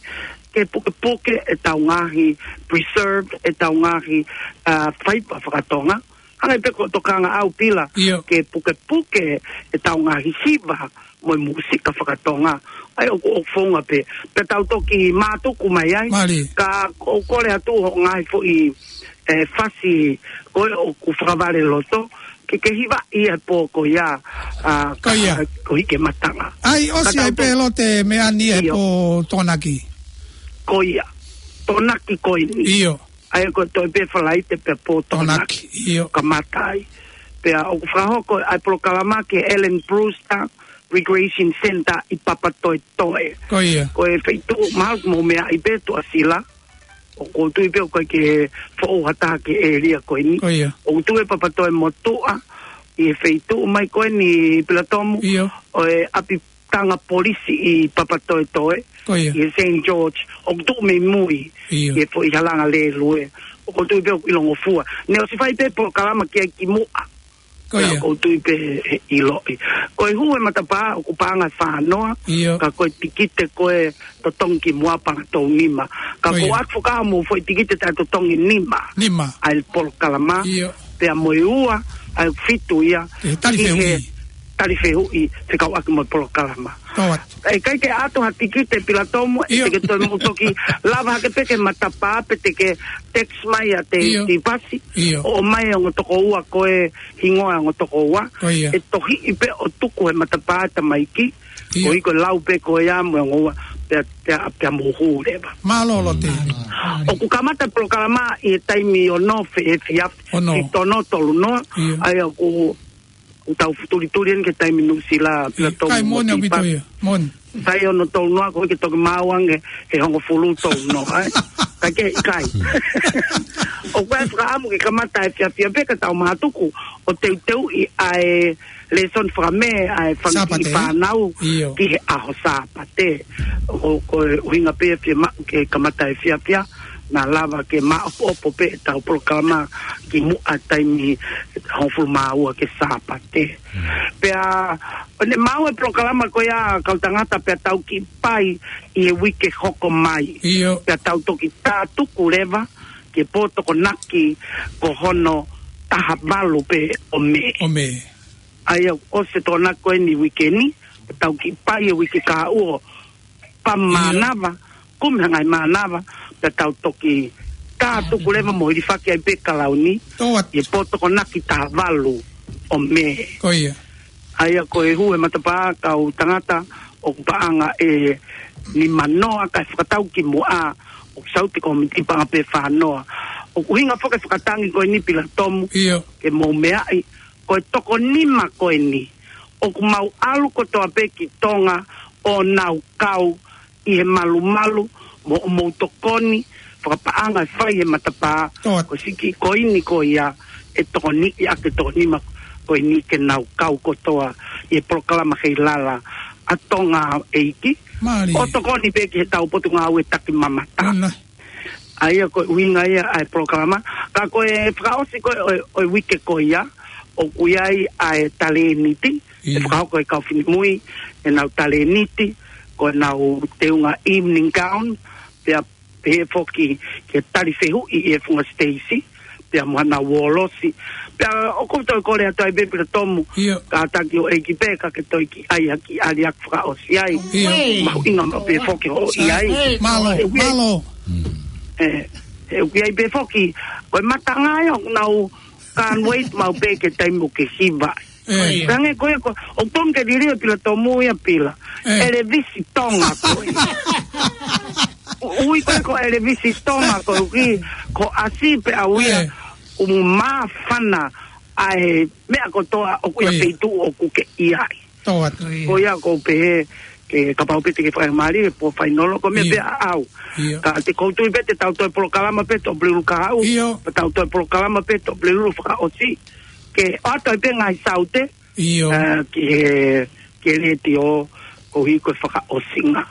ke pukepuke ʻetau ngaahi preserved, ʻetau ngaahi, uh, faiva fakatonga. Hangē pē ko e tokanga ʻa Pila, ʻio, ke pukepuke ʻetau ngaahi hiva mo e mūsika fakatonga. ʻA ia ʻoku, ʻoku founga pē. Pea tau toki mātuku mai ai. Mālie. Ka ʻoku ou kole atu hoʻo ngaahi foʻi, ē, fasi ko ē ʻoku fakavaleloto, ke ke hivaʻi ia he pō ko ia, ā, ko ia, ka, koeʻuhi ke matanga. ʻAi, ʻosi ai pē Lote mei ai eni he, ʻio, pō Tokonaki. Ko ia. Tokonaki ko eni. ʻIo. ʻA ia ko e toe pē Falaite pea pō Tokonaki, Tokonaki, ʻio, kamata ai. Pea ʻoku fakahoko ʻa e polokalama ki he Ellen Brewster Recreation Centre ʻi Papatoetoe. Ko ia. Ko e feituʻu mahalo ʻoku mou meaʻi pē Tuʻasila. ʻOku ou tui pē ʻoku ʻikai ke foʻou ha taha ki he ʻēlia ko eni. Ko ia. ʻOku tuʻu ʻi Papatoetoe mo Tuʻa, ʻi he feituʻu mai ko eni Pilatomu, ʻio, ʻo e ʻapi tanga polisi ʻi Papatoetoe, ko ia, ʻi he Saint George, ʻoku tuʻu mei mui, ʻio, ʻi he foʻi halanga lēlue, ʻoku ou tui pē ʻoku ʻilongofua. Ne ʻosi fai pē polokalama ki ai kimuʻa. Ko ia. ʻOku ou tui pē ʻe ʻiloʻi. Ko e hū e matapā ʻoku paʻanga ʻe fā noa, ʻio, ka ko e tikite ko ē totongi kimuʻa paʻanga tolu nima. Ka, ko ia, ʻoku ʻoatu fakahā mo e foʻi tikite taʻetotongi nima. Nima. ʻA e polokalama. ʻIo. Pea mo e ua, ʻa e fitu ia, ki he tali fehuʻi. Ki he tali fehuʻi, fekauʻaki mo e polokalama. Tō atu. ʻE ʻikai ke ʻoatu ha tikite Pilatomu, ʻio, ʻe te ke toe mou toki lava hake pē ki he matapā, pe te ke text mai ʻa Te, ʻio, Tēvita Pasi, ʻio, ʻo ʻomai e ongo tokoua ko e hingoa e ongo tokoua. Ko ia. ʻE tohiʻi pē ʻo tuku he matapā e tamaiki, ʻio, koeʻuhi ko e lau pē ko ia mo e ongo ua, pea, pea, pea mou hū leva. Mālō Lote. Mālō. ʻOku kamata e polokalama ʻi he taimi ono he efiafi, ono, ki he ono tolu noa, ʻio, ʻa ia ʻoku, ʻoku tau futulituli eni ki he taimi Nuʻusila, ʻio, Pilatomu, kai mo moʻoni ʻaupito Tēvita. Ia, moʻoni. Sai ono tolu noa, koeʻuhi ke toki maʻu ange he hongofulu tolu noa, ē? Ka ke ʻikai. ʻOku ʻi ai e fakaʻamu ke kamata he efiafi pē ka tau mātuku ʻo teuteuʻi ʻa e lēsoni faka-Mē ʻa e fanga kiʻi Sāpate, ē? Fānau, ʻio, ki he ʻaho Sāpate. Ko, ko e ʻuhinga pē fiemaʻu ke kamata he efiafi, naʻa lava ke maʻopoʻopo pē ʻetau polokalama kimuʻa taimi hongofulu mā ua ki he Sāpate. Mm. Pea, ʻo ne maʻu e polokalama ko ia kau tangata pea tau kiʻi pai ʻi he uike hoko mai. ʻIo. Pea tau toki tātuku leva ki he pō Tokonaki ko hono taha valu pē ʻo Mē. ʻO Mē. ʻA ia ʻosi e Tokonaki ko eni uike ni, tau kiʻi pai e uike kahaʻu ʻo pā, ʻio, mānava, kumi ha ngaahi mānava, pea tau toki tātuku leva mo hilifaki ai pē kalauni, tō atu, ʻi he pō Tokonaki taha valu ʻo Mē. Ko ia. ʻA ia ko e hū e matapā kau tangata ʻoku paʻanga ʻe nima noa kae fakatau kimuʻa, ʻoku sau e kōmiti paʻanga pē ʻe fā noa. ʻOku ʻuhinga foki e fakatangi ko eni Pilatomu, ʻio, ke mou meaʻi, ko e toko nima ko eni, ʻOku mau ʻalu kotoa pē ki Tonga ʻo nau kau ʻi he malumalu mo, mo tokoni fakapaʻanga ʻe fai he matapā. Ko siki ko eni ko ia ʻe tokoni ʻi ake tokoni ma ko eni ke nau kau kotoa ʻi he polokalama kei lala ʻa Tonga ʻEiki. ʻO tokoni pē ki he tau potungāue taki mamata. ʻA ia ko e ʻuhinga ia ʻa e polokalama. Ka ko e fakaʻosi ko ē ʻo e, ʻo e uike ko ia, ʻoku ʻi ai ʻa e talēniti, ʻe fakahoko ʻe he kau finemui, ʻenau talēniti, ko ʻenau teunga evening gown, pea pehē foki ke tali fehuʻi ʻe he funga siteisi, pea mo hanau ʻōlosi. Pea ʻoku ou toe kole atu ai pē Pila Tomu, kātaki ʻo ʻEiki pē, ka ke toe kiʻi ʻai ha kiʻi ʻaliaki fakaʻosi ai. Mahuʻinga maʻu pē foki hoʻo ʻi ai. Mālō, mālō. ʻE, ʻoku ʻi ai pē foki, ko e matanga ia ʻoku nau can't wait maʻu pē ki he taimi ʻoku ke hiva ai. Hangē ko ia ko, ʻoku tonu ke liliu ʻe Pila Tomu ia Pila. ʻElevisi Tonga ko ia. ʻUi ko ia ko ʻElevisi Tonga ko ia, ko ʻasi pē ʻa ia, ʻoku māfana ʻa e meʻa kotoa ʻoku ʻi he feituʻu ʻoku ke ʻi ai. Ko ia ʻoku ou pehē, ke kapau pē te ke faingamālie, pō fainolo, ko e meʻa pē ʻaʻau. Ka te kou tui pē te tau toe polokalama pē Tuʻapulelulu kahaʻu, ka tau toe polokalama pē Tuʻapulelulu fakaʻosi. Ke ʻoatu ai pē ngaahi saute, ʻa, ki he, ki he letiō, koeʻuhi ko e fakaʻosinga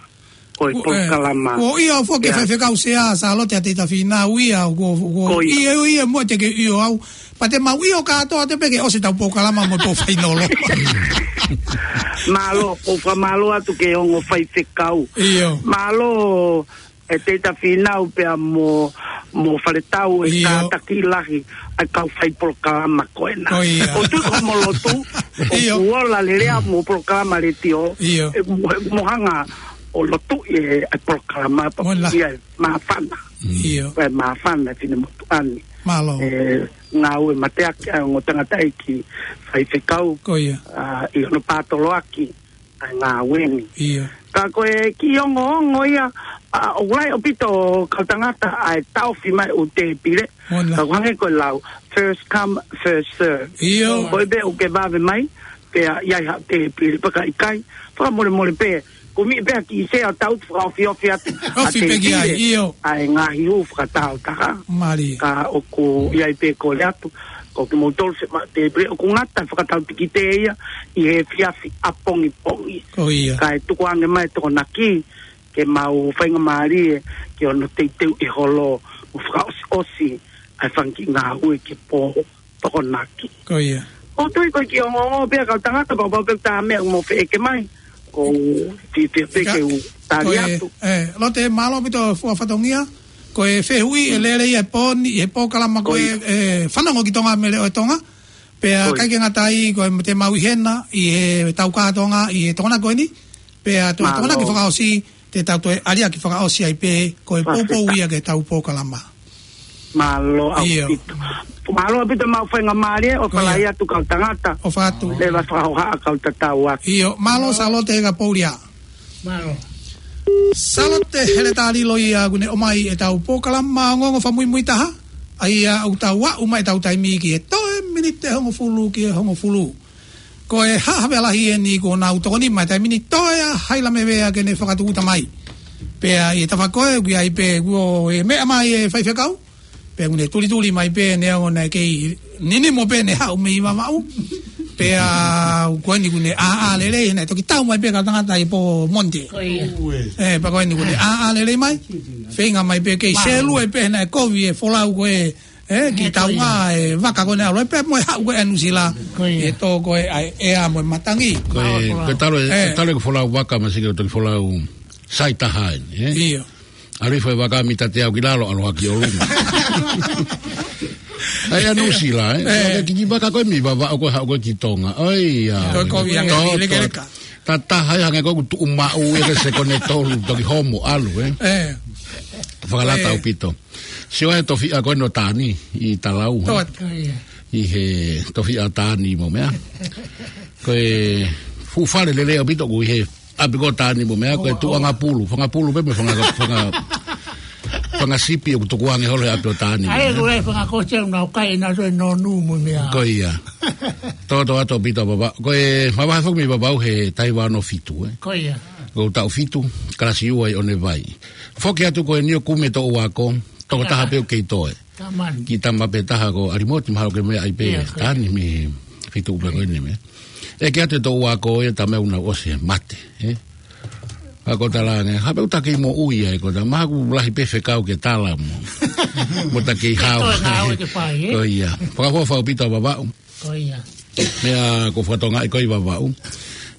ʻo e polokalama. Kuo ʻi ai foki e faifekau sea, Sālote ʻa Teita Fīnau ia, kuo, kuo ʻi ai, ʻi ai mo te ke ʻio au. Pea te mau ʻio kātoa atu pē ke ʻosi ʻetau polokalama mo e pō fainolo. Mālō, ʻoku ou fakamālō atu ki he ongo faifekau. Mālō, ʻe Teita Fīnau pea mo, mo Faletau ʻe kātaki lahi ʻa e kau fai polokalama ko ena. ʻOku ou tui ko hoʻomo lotu, ʻoku ola lelei ʻa hoʻomo polokalama letiō. ʻE mo, mo hanga ʻo lotu ʻi he, ʻa e polokalama pea mo ia ʻe māfana. Pea māfana e finemotuʻa ni. Mālō. ʻE ngāue mateaki ʻa e ongo tangataʻeiki faifekau. ʻA, ʻi hono pātoloaki ʻa e ngāue ni. Ka ko e kiʻi ongoongo ia, ʻa, ʻoku lahi ʻaupito kau tangata ʻa e taʻofi mai ʻū tēpile. Ka ʻoku hangē ko e lau, first come, first serve. Ko e pē ʻoku ke vave mai, pea ʻi ai haʻo tēpile, pea ka ʻikai, fakamolemole pē, kumi pē ha kiʻi sea ʻo tau fakaofiofi atu ʻa e tēpile. ʻA e ngaahi hū fakataautaha. Ka ʻoku ʻi ai pē kole atu, ko kimoutolu se ma tēpile, ʻoku ngata fakatau tikite ia ʻi he efiafi ʻapongipongi. Kae tukuange mai e Tokonaki, ke mau faingamālie, ke ono teuteu e holo, mo fakaʻosiʻosi, ʻa e fanga kiʻi ngāue ki he pō Tokonaki. ʻOku ou tui ko e kiʻi ongoongo pē ʻa e kau tangata, pau pau pē ʻoku ta meʻa mo feʻeke mai. ʻOku ou fiefia pē ke u tali atu. Lote, mālō ʻaupito fua fatongia. Ko e fehuʻi ʻe lele ia ʻi he pō ni, ʻi he polokalama ko ē, ʻe fanongo ki Tonga mo e Leʻo ʻo Tonga. Pea ʻikai ke ngata ai, ko e te mau ʻi hena, ʻi he tau kā Tonga, ʻi he Tokonaki ko eni. Pea toe Tokonaki fakaʻosi, te tau toe ʻaliaki fakaʻosi ai pē, ko e poupou ia ki he tau polokalama. Mālō ʻaupito. Mālō ʻaupito mau faingamālie, ʻofa lahi atu kau tangata. ʻOfa atu. Leva fakahohaʻa kau tatau atu. Mālō Sālote Kapoulia. Mālō. Sālote Heletā Lilo ia kuo ne ʻomai ʻetau polokalama ongoongo fakamuimui taha. ʻA ia ʻoku tau aʻu mai ʻetau taimi ki he toe miniti ʻe hongofulu ki he hongofulu. Ko e haʻa Havea Lahi eni kuo nau tokoni mai taimi ni, toe ʻa Haila Mevea ke ne fakatūʻuta mai. Pea ʻi he tafaʻaki ko ē, ʻoku ʻi ai pē kuo ʻi ai e meʻa mai e faifekau. Pea kuo ne tulituli mai pē neongo naʻe kei ninimo pē ne haʻu mei Vavaʻu. Pea ko eni kuo ne ʻāʻā lelei, naʻe toki tau mai pē kau tangata ʻi he pō Monday. ʻE, pea ko eni kuo ne ʻāʻā lelei mai. Feinga mai pē kei sēlue pē naʻe kovi e folau ko ē, ʻe, ki taunga e vaka ko ē naʻe ʻalu ai pē mo e haʻu ko ē ʻa Nuʻusila. ʻI he tō ko ē ʻa e ʻea mo e matangi. Ko e, ko e talo e, ko e talo e ko e folau vaka ma sike toki folau sai taha eni, ʻe? ʻAlu hifo e vaka mita teau ki lalo, ʻalu hake ʻo luma. ʻAi ʻa Nuʻusila, ʻe? Ko e kiʻi vaka ko ē mei Vavaʻu ko ē haʻu ko ē ki Tonga. ʻOi, ʻa. Ko e kovi ange ʻi lekeleka. Tataha ia hangē ko ē ʻoku tuʻu maʻu ia ke sekone tolu toki homo ʻalu, ʻe? Fakalata ʻaupito. Sio e tofiʻa ko ē ʻo Tani ʻi Talau, ʻe? ʻI he tofiʻa ʻo Tani mo meʻa. Ko e fuʻu fale lelei ʻaupito ʻoku ʻi he ʻapi ko ē ʻo Tani mo meʻa, ko e tuʻu ʻanga pulu, fanga pulu pē mo fanga, fanga, fanga sipi ʻoku tukuange holo he ʻapi ʻo Tani mo meʻa. ʻAi, ko e fanga kosi ʻoku nau kai ʻenau toe nonu mo meʻa. Ko ia. Toto atu ʻaupito Vavaʻu. Ko e mavahe foki mei Vavaʻu he taha hiva ono fitu, ē. Ko ia. Ko e taʻu fitu, kalasi ua ʻi ʻOnevai. Foki atu ko eni ʻo kumi e toʻu ako, tokotaha pē ʻoku kei toe. Tamani. Kiʻi tama pē taha ko ʻAlimoti, mahalo ko e meʻa ai pē. Ia, ko ia. Tani mei he feituʻu pē ko eni meʻa. ʻEke atu e toʻu ako ia, tama ʻoku nau ʻosi mate, ē. Ka ko e talaange, ha pē ʻoku ta kei moʻui ai, ko ta maku lahi pē fekau ke tala mo. Mo ta kei hao. Ko e ngāue ke fai, ē? Ko ia. Fakaʻofoʻofa ʻaupito Vavaʻu. Ko ia. Meʻa ko e fakatokangaʻi ko ē ʻi Vavaʻu.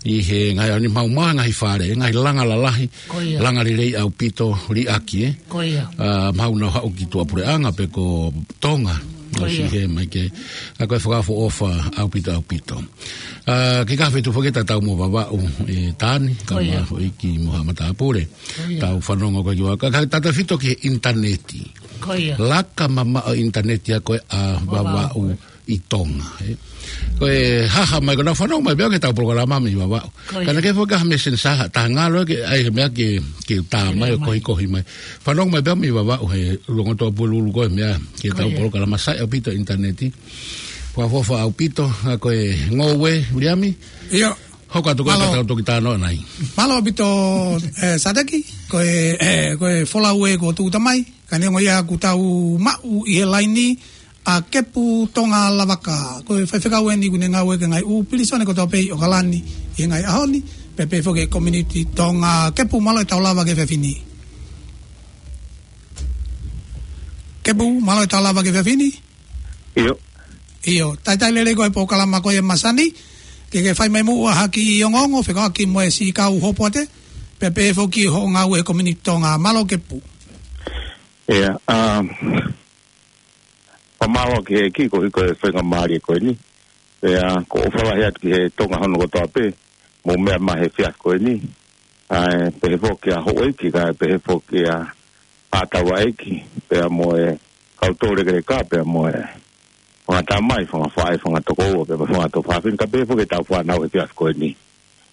ʻI he ngaahi ʻaho ni maʻu mai ngaahi fale, ngaahi langa lalahi. Ko ia. Langa lelei ʻaupito liʻaki, ē. Ko ia. ʻA, maʻu nau haʻu ki tuʻapuleʻanga pe ko Tonga. Ko ia. ʻOsi he mai ke. ʻA ko e fakaʻofoʻofa ʻaupito ʻaupito. ʻA, ke ka fetuʻu foki tatau mo Vavaʻu, ē, Tani, ka Ko ia. Mafoʻi ki mo ha matāpule. Ko ia. Tau fanongo ko ē ki ua. Ka, ka tautefito ki he ʻinitaneti. Ko ia. Laka mamaʻo ʻinitaneti ʻa ko ē ʻa Vavaʻu. Vavaʻu ʻi Tonga, ē. Ko e haha mai, ko ʻenau fanongo mai pē au ki heʻetau polokalama mei Vavaʻu. Ko ia. Ka naʻe ʻikai foki ha messenger, ha taha ngalo ke, ʻai he meʻa ke, ke tā mai ʻo Ke mai. Kohikohi mai. Fanongo mai pē au mei Vavaʻu he Longotoa Pululu ko e meʻa ke tau Ko ia. Polokalama sai ʻaupito ʻinitaneti. Fakaʻofoʻofa ʻaupito, ʻa ko e ngoue, Viliami? ʻIo. Hoko atu ko e Mālō. Ka tau toki talanoa nai. Mālō ʻaupito, ē, Sateki, ko e, ē, ko e folau ē kuo tuʻuta mai, ka neongo ia kuo tau maʻu ʻi he laini, ʻa Kepu Tonga Lavaka, ko e faifekau eni ʻoku ne ngāue ki he ngaahi ʻū pilīsone kotoa pē ʻi ʻOkalani ʻi he ngaahi ʻaho ni, pea pehē foki ki he community Tonga. Kepu, mālō e tau lava ki he efiafi ni. Kepu, mālō e tau lava ki he efiafi ni. ʻIo. ʻIo, talitali lelei ko e polokalama ko ia ʻa e masani, ke ke fai mai muʻa ha kiʻi ongoongo, fekauʻaki mo e siʻi kau hopoate, pea pehē foki ki hoʻo ngāue he community Tonga. Mālō Kepu. ʻIa, um, Fakamālō ki he ʻEiki koeʻuhi ko e faingamālie ko eni. Pea ʻoku ou ʻofa lahi atu ki he Tonga hono kotoa pē, mou meʻa mai he efiafi ko eni. ʻA e pehē foki ʻa houʻeiki, kae pehē foki ʻa ʻa taulaʻeiki, pea mo e kau toulekeleka, pea mo e fanga tamai, fanga faʻē, fanga tokoua, pea mo e fanga tuofāfine, kae pehē foki ʻetau fānau he efiafi ko eni.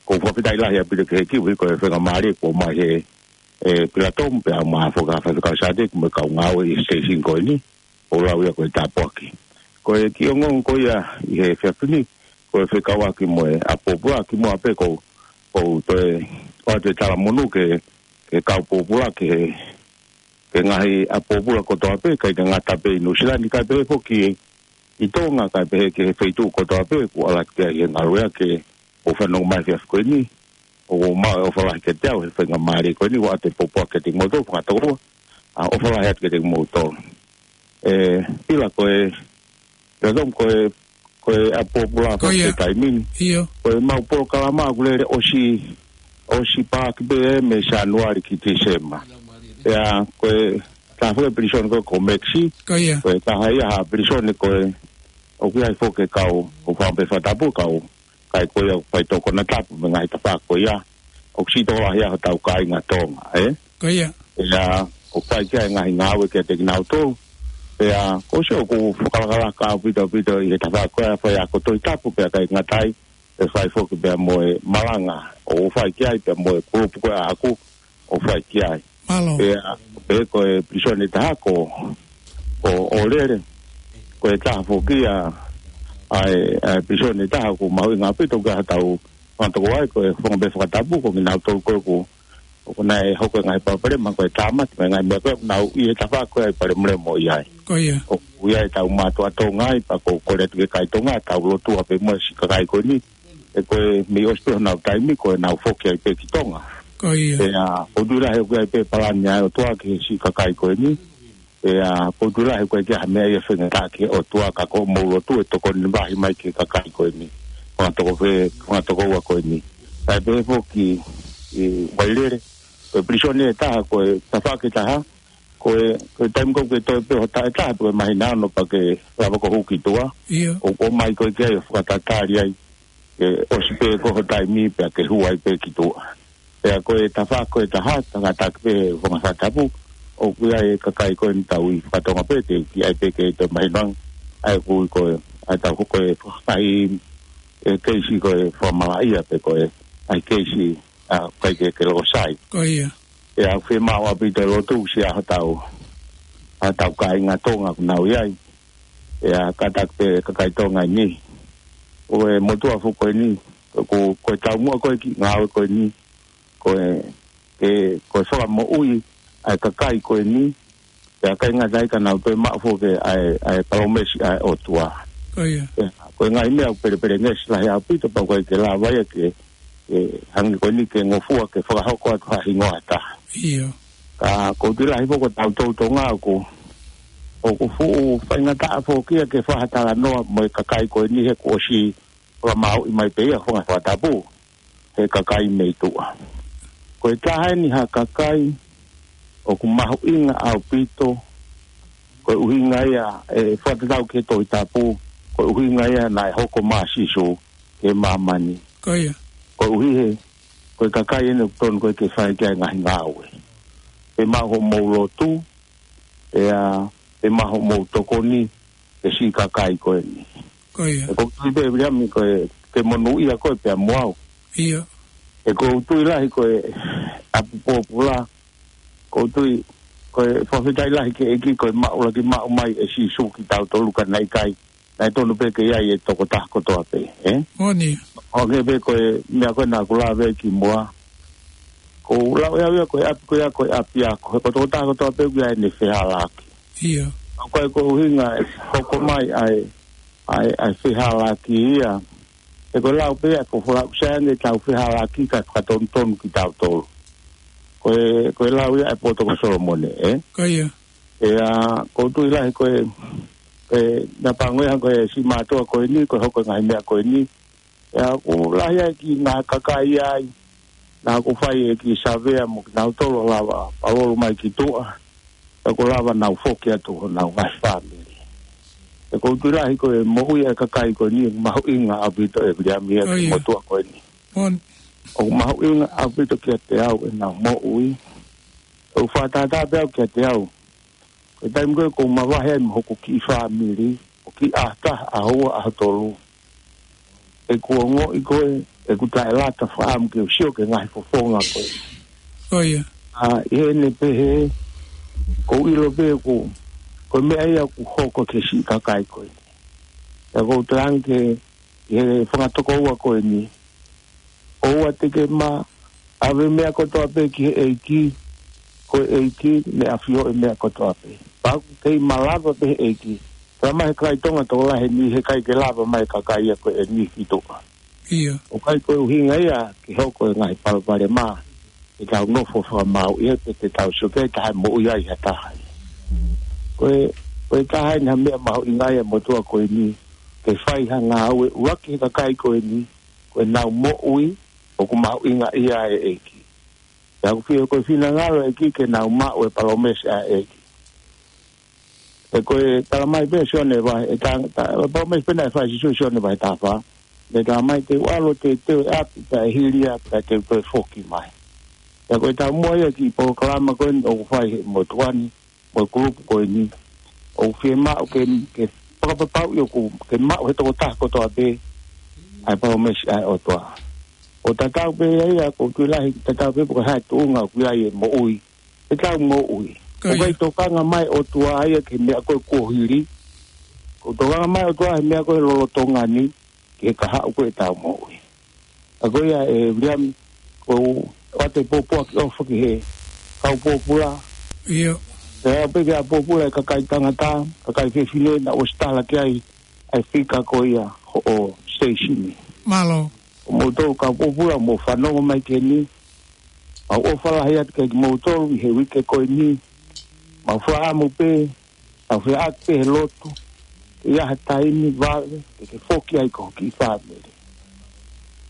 ʻOku ou fakafetaʻi lahi ʻaupito ki he ʻEiki koeʻuhi ko e faingamālie kuo ʻomai he, ē, Pilatomu, pea mo e Faifekau Sateki mo e kau ngāue ʻi he station ko eni, ʻoku ou lau ia ko e tāpuaki. Ko e kiʻi ongoongo ko ia ʻi he efiafi ni, ko e fekauʻaki mo e ʻapi pōpula, kimuʻa pē ʻoku ou, ʻoku ou toe ʻoatu e talamonū ki he, ki he kau pōpula, ki he, ki he ngaahi ʻapi pōpula kotoa pē, ʻikai ke ngata pē ʻi Nuʻusila ni, kae pehē foki ʻi Tonga, kae pehē ki he feituʻu kotoa pē, ʻoku ʻalu atu ki ai he ngaluʻea ke ʻoku fanongo mai he efiafi ko eni, ʻoku ou maʻu e ʻofa lahi kiate au he faingamālie ko eni, ʻoatu e pōpula kiate kimoutolu, fanga tokoua, ʻa, ʻofa lahi atu kiate kimoutolu. Ē, Pila, ko e, Pilatomu, ko e, ko e ʻapi pōpula Ko ia. He taimi ni. ʻIo. Ko ʻemau polokalama ʻoku lele ʻosi, ʻosi paaki pē ē mei Sānuali ki Tīsema. ʻIa, ko e taha foki e pilīsone ko, ko Mekisi. Ko ia. Ko e taha ia ha pilīsone ko ē ʻoku ʻi ai foki e kau, ʻoku fai pē fakatapu kau, kakai ko ia ʻoku fai tokoni tapu mo e ngaahi tafaʻaki ko ia. ʻOku siʻi tokolahi ʻa hotau kāinga Tonga, ē? Ko ia. ʻIa, ʻoku fai ki ai e ngaahi ngāue kiate kinautolu. ʻIa, ʻoku ou sio ʻoku fakalakalaka ʻaupito ʻaupito ʻi he tafaʻaki ko ia faiako Tohi Tapu pea ʻikai ngata ai, ʻe fai foki pea mo e malanga ʻoku fai ki ai pea mo e kulupu ko ia ʻaʻaku ʻoku fai ki ai. Mālō. ʻIa, pehē ko e pilīsone ʻe taha ko, ko ʻŌlele, ko e taha foki ia ʻa e, ʻa e pilīsone ʻe taha ʻoku mahuʻinga ʻaupito ki hotau fanga tokoua, ko e fanga pē fakatapu, ko kinautolu ko ē ʻoku, ʻoku nau hoko e ngaahi palopalema, ko e tāmate, mo e ngaahi meʻa ko ē, nau ʻi he tafaʻaki ko ē ʻoku palemolemo ʻi ai. Ko ia. ʻOku ʻi ai ʻetau mātuʻa Tonga ai, pea ʻoku ou kole atu ki he kakai Tonga, tau lotua pē mo e siʻi kakai ko eni, ʻe ko e mei ʻosi pē honau taimi, ko ʻenau foki ai pē ki Tonga. Ko ia. ʻIa, ʻoku ou tui lahi ʻoku ʻi ai pē palani ʻa e ʻOtua ki he siʻi kakai ko eni. ʻIa, ʻoku ou tui lahi ʻoku ʻikai ke ʻi ai ha meʻa ia faingataʻa ki he ʻOtua ka ko hoʻomou lotu ʻe tokoni lahi mai ki he kakai ko eni. Fanga toko fē, fanga tokoua ko eni. Kae pehē foki ʻi Vailele, ko e pilīsone ʻe taha, ko e tafaʻaki ʻe taha, ko e, ko e taimi ko ē ʻoku ke toe pē ho taʻataʻa, ko e māhina ono pea ke lava ʻo hū ki tuʻa. ʻIo. ʻO, ʻomai ko ē ki ai ʻo fakatatali ai, ke ʻosi pē ko ho taimi pea ke hū ai pē ki tuʻa. ʻIa, ko e tafaʻaki ko ē ʻe taha, tangata ki pē fanga fakatapu, ʻoku ʻi ai e kakai ko eni tau ʻi fakatonga pē, te u kiʻi ʻai pē ke toe mahino ange, ʻa e ʻoku ui ko e, ʻa e tau ko e fakaʻi, e keisi ko e fakamalaʻia pe ko e, ʻa e keisi, ʻa, ʻikai ke, ke loko sai. Ko ia. ʻIa, ʻoku fiemaʻu ʻaupito e lotu siʻa hotau, hotau kāinga Tonga ʻoku nau ʻi ai. ʻIa, kātaki pē kakai Tonga ʻi niʻihi. ʻo e motuʻa foki ko eni, ko, ko e taumuʻa ko ē ki he ngāue ko eni, ko e, ke, ko e fakamoʻui ʻa e kakai ko eni, pea ʻikai ngata ai ka nau toe maʻu foki ʻa e, ʻa e palōmesi ʻa e ʻOtua. Ko ia. Pea, ko e ngaahi meʻa ʻoku pelepelengesi lahi ʻaupito pea ʻoku ʻikai ke lava ia ke, ke hangē ko eni ke ngofua ke fakahoko atu ha hingoa ʻe taha. ʻIo. Ka ʻoku ou tui lahi foki ko tautolu Tonga ʻoku, ʻoku fuʻu faingataʻa foki ia ke fai ha talanoa mo e kakai ko eni he kuo ʻosi fakamāuʻi mai pē ia fanga fakatapu he kakai mei tuʻa. Ko e taha eni ha kakai ʻoku mahuʻinga ʻaupito, ko e ʻuhinga ia ʻe fakatatau ki he Tohi Tapu, ko e ʻuhinga ia naʻe hoko mai ʻa Sīsū ki māmani. Ko ia. Ko e ʻuhi he, ko e kakai eni ʻoku tonu ko ē ke fai ki ai e ngaahi ngāue. Pea maʻu hoʻomou lotu, pea, pea maʻu hoʻomou tokoni, ke siʻi kakai ko eni. Ko ia. ʻOku ou tui pē Viliami ko e, ke monūʻia koe pea mo au. ʻIo. ʻOku ou tui lahi ko e ʻapi pōpula, ʻoku ou tui, ko e fakafetaʻi lahi ki he ʻEiki ko e maʻu laki maʻu mai ʻe Sīsū kitautolu ka naʻe ʻikai, naʻe tonu pē ke ʻi ai e tokotaha kotoa pē, ē? Moʻoni. ʻO hangē pē ko e meʻa ko ē naʻa ku lave ki muʻa. ʻOku ou lau ʻe au ia ko e ʻapi ko ia ko e ʻapiako. He ko e tokotaha kotoa pē ʻoku ʻi ai ʻene fehālaaki. ʻIo. ʻOku ʻikai ko e ʻuhinga ʻe hoko mai ʻa e, ʻa e, ʻa e fehālaaki ia. He ko e lau pē ia ʻa e folofola ʻoku sai ange ʻetau fehālaaki kae fakatonutonu kitautolu. Ko e, ko e lau ia ʻa e poto ko Solomone, ē? Ko ia. ʻIa, ʻoku ou tui lahi ko e, ko e, naʻa pangoeha ko e siʻi mātuʻa ko eni, ko e hoko e ngaahi meʻa ko eni. ʻIa, ʻoku lahi ai e kiʻi ngaahi kakai ai, naʻa ku fai e kiʻi savea mo kinautolu ʻo lava, palolo mai ki tuʻa, ʻa ʻoku lava nau foki atu honau ngaahi fāmili. ʻOku ou tui lahi ko e moʻui ʻa e kakai ko eni, mahuʻinga ʻaupito ʻe Viliami ia ki he motuʻa ko eni. ʻOku mahuʻinga ʻaupito kiate au ʻenau moʻui. ʻOku fakatātā pē au kiate au. Ko e taimi ko ē ʻoku ou mavahe ai mo hoku kiʻi fāmili, ʻo kiʻi ʻaho taha, ʻaho ua, ʻaho tolu. ʻOku ou ongoʻi ko ē, ʻoku taʻelata fakaʻamu ke u sio ki he ngaahi fofonga ko ē. Ko ia. ʻA, ʻi heʻene pehē, ʻoku ou ʻilo pē ʻoku, ko e meʻa ia ʻoku hoko ki he siʻi kakai ko ē. ʻOku ou talaange ki he fanga tokoua ko eni. ʻOua te ke ma ʻave meʻa kotoa pē ki he ʻEiki, ko e ʻEiki naʻe ʻafioʻi e meʻa kotoa pē. Pea ʻoku kei malava pē he ʻEiki. Pea mai he kakai Tonga tokolahi ni he ʻikai ke lava mai kakai ia ko eni ki tuʻa. ʻIo. ʻOku ʻikai ko e ʻuhinga ia ke hoko e ngaahi palopalema ʻetau nofo fakamāuʻi ai pe te tau sio ki ai, taha e moʻui ai ha taha. Ko e, ko e taha eni ha meʻa mahuʻinga ia motuʻa ko eni, ke fai ha ngāue ʻuluaki he kakai ko eni, ko ʻenau moʻui, ʻoku mahuʻinga ia ʻe he ʻEiki. Pea ʻoku fie ko e finangalo ʻEiki ke nau maʻu e palōmesi ʻa e ʻEiki. He ko e talamai pē Sione vahe, e ta, ta, palōmesi pē naʻe fai ʻe Sīsū Sione vahe taha fā. Naʻe talamai te u ʻalu ʻo teuteu e ʻapi, pea ʻe hili ia, pea te u toe foki mai. Pea ko e taumuʻa ia e kiʻi polokalama ko eni ʻoku fai he motuʻa ni, mo e kulupu ko eni. ʻOku fiemaʻu ke, ke fakapapauʻi ʻoku, ke maʻu he tokotaha kotoa pē, ʻa e palōmesi ʻa e ʻOtua. ʻO tatau pē ia ia, ʻoku ou tui lahi, tatau pē pe ko e hā e tuʻunga ʻoku ʻi ai e moʻui. ʻEtau moʻui. Ko ia. ʻOku ʻikai tokanga mai e ʻOtua ia ki he meʻa ko ē kuo hili. ʻOku tokanga mai e ʻOtua he meʻa ko ē lolotonga ni, ki he kahaʻu ko ē ʻetau moʻui. ʻA ko ia ʻe Viliami, ʻoku ou ʻoatu e pōpoaki ʻofa ki he kau pōpula. ʻIo. Pea pehē ki he pōpula e kakai tangata, kakai fefine naʻa ku ʻosi tala ki ai, ʻa e fika ko ia hoʻo station ni. Mālō. ʻOku mou tau kau pōpula, mou fanongo mai ki heni. Mau ʻofa lahi atu kiate kimoutolu ʻi he uike ko eni. Mau fakaʻamu pē, tau feʻaki pē he lotu. Ke ʻi ai ha taimi vave, ke ke foki ai ki ho kiʻi fāmili.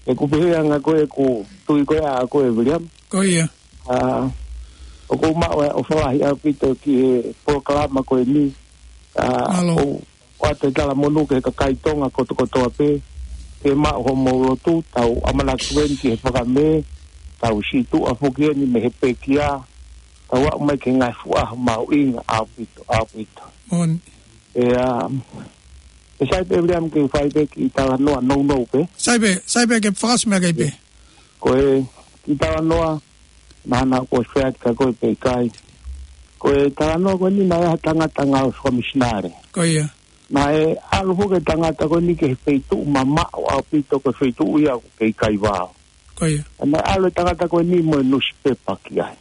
ʻOku pehē ʻa e anga ko ē ʻeku tui ko ē ʻaʻaku ʻe Viliami. Ko ia. ʻA, ʻoku ou maʻu e ʻofa lahi ʻaupito ki he polokalama ko eni. ʻA, mālō. ʻOku ou ʻoatu e talamonū ki he kakai Tonga kotokotoa pē, ke maʻu hoʻomou lotu, tau ʻamanaki eni ki he fakamē, tau sītuʻa foki eni mei he pekia, tau aʻu mai ki he ngaahi fuʻu ʻaho mahuʻinga ʻaupito, ʻaupito. Moʻoni. ʻIa, ʻe sai pē Viliami ke fai pē kiʻi talanoa nounou pē. Sai pē, sai pē ke fakaʻosi mai kiai pē. Ko e kiʻi talanoa, naʻa na ko e feʻatika ko e pē kai. Ko e talanoa ko eni naʻe ʻi ai ha tangata ngāue fakamisinale. Ko ia. Naʻe ʻalu foki e tangata ko eni ki he feituʻu mamaʻo ʻaupito, ko e feituʻu ia ʻoku kei kai vao. Ko ia. Naʻe ʻalu e tangata ko eni mo e nusipepa ki ai.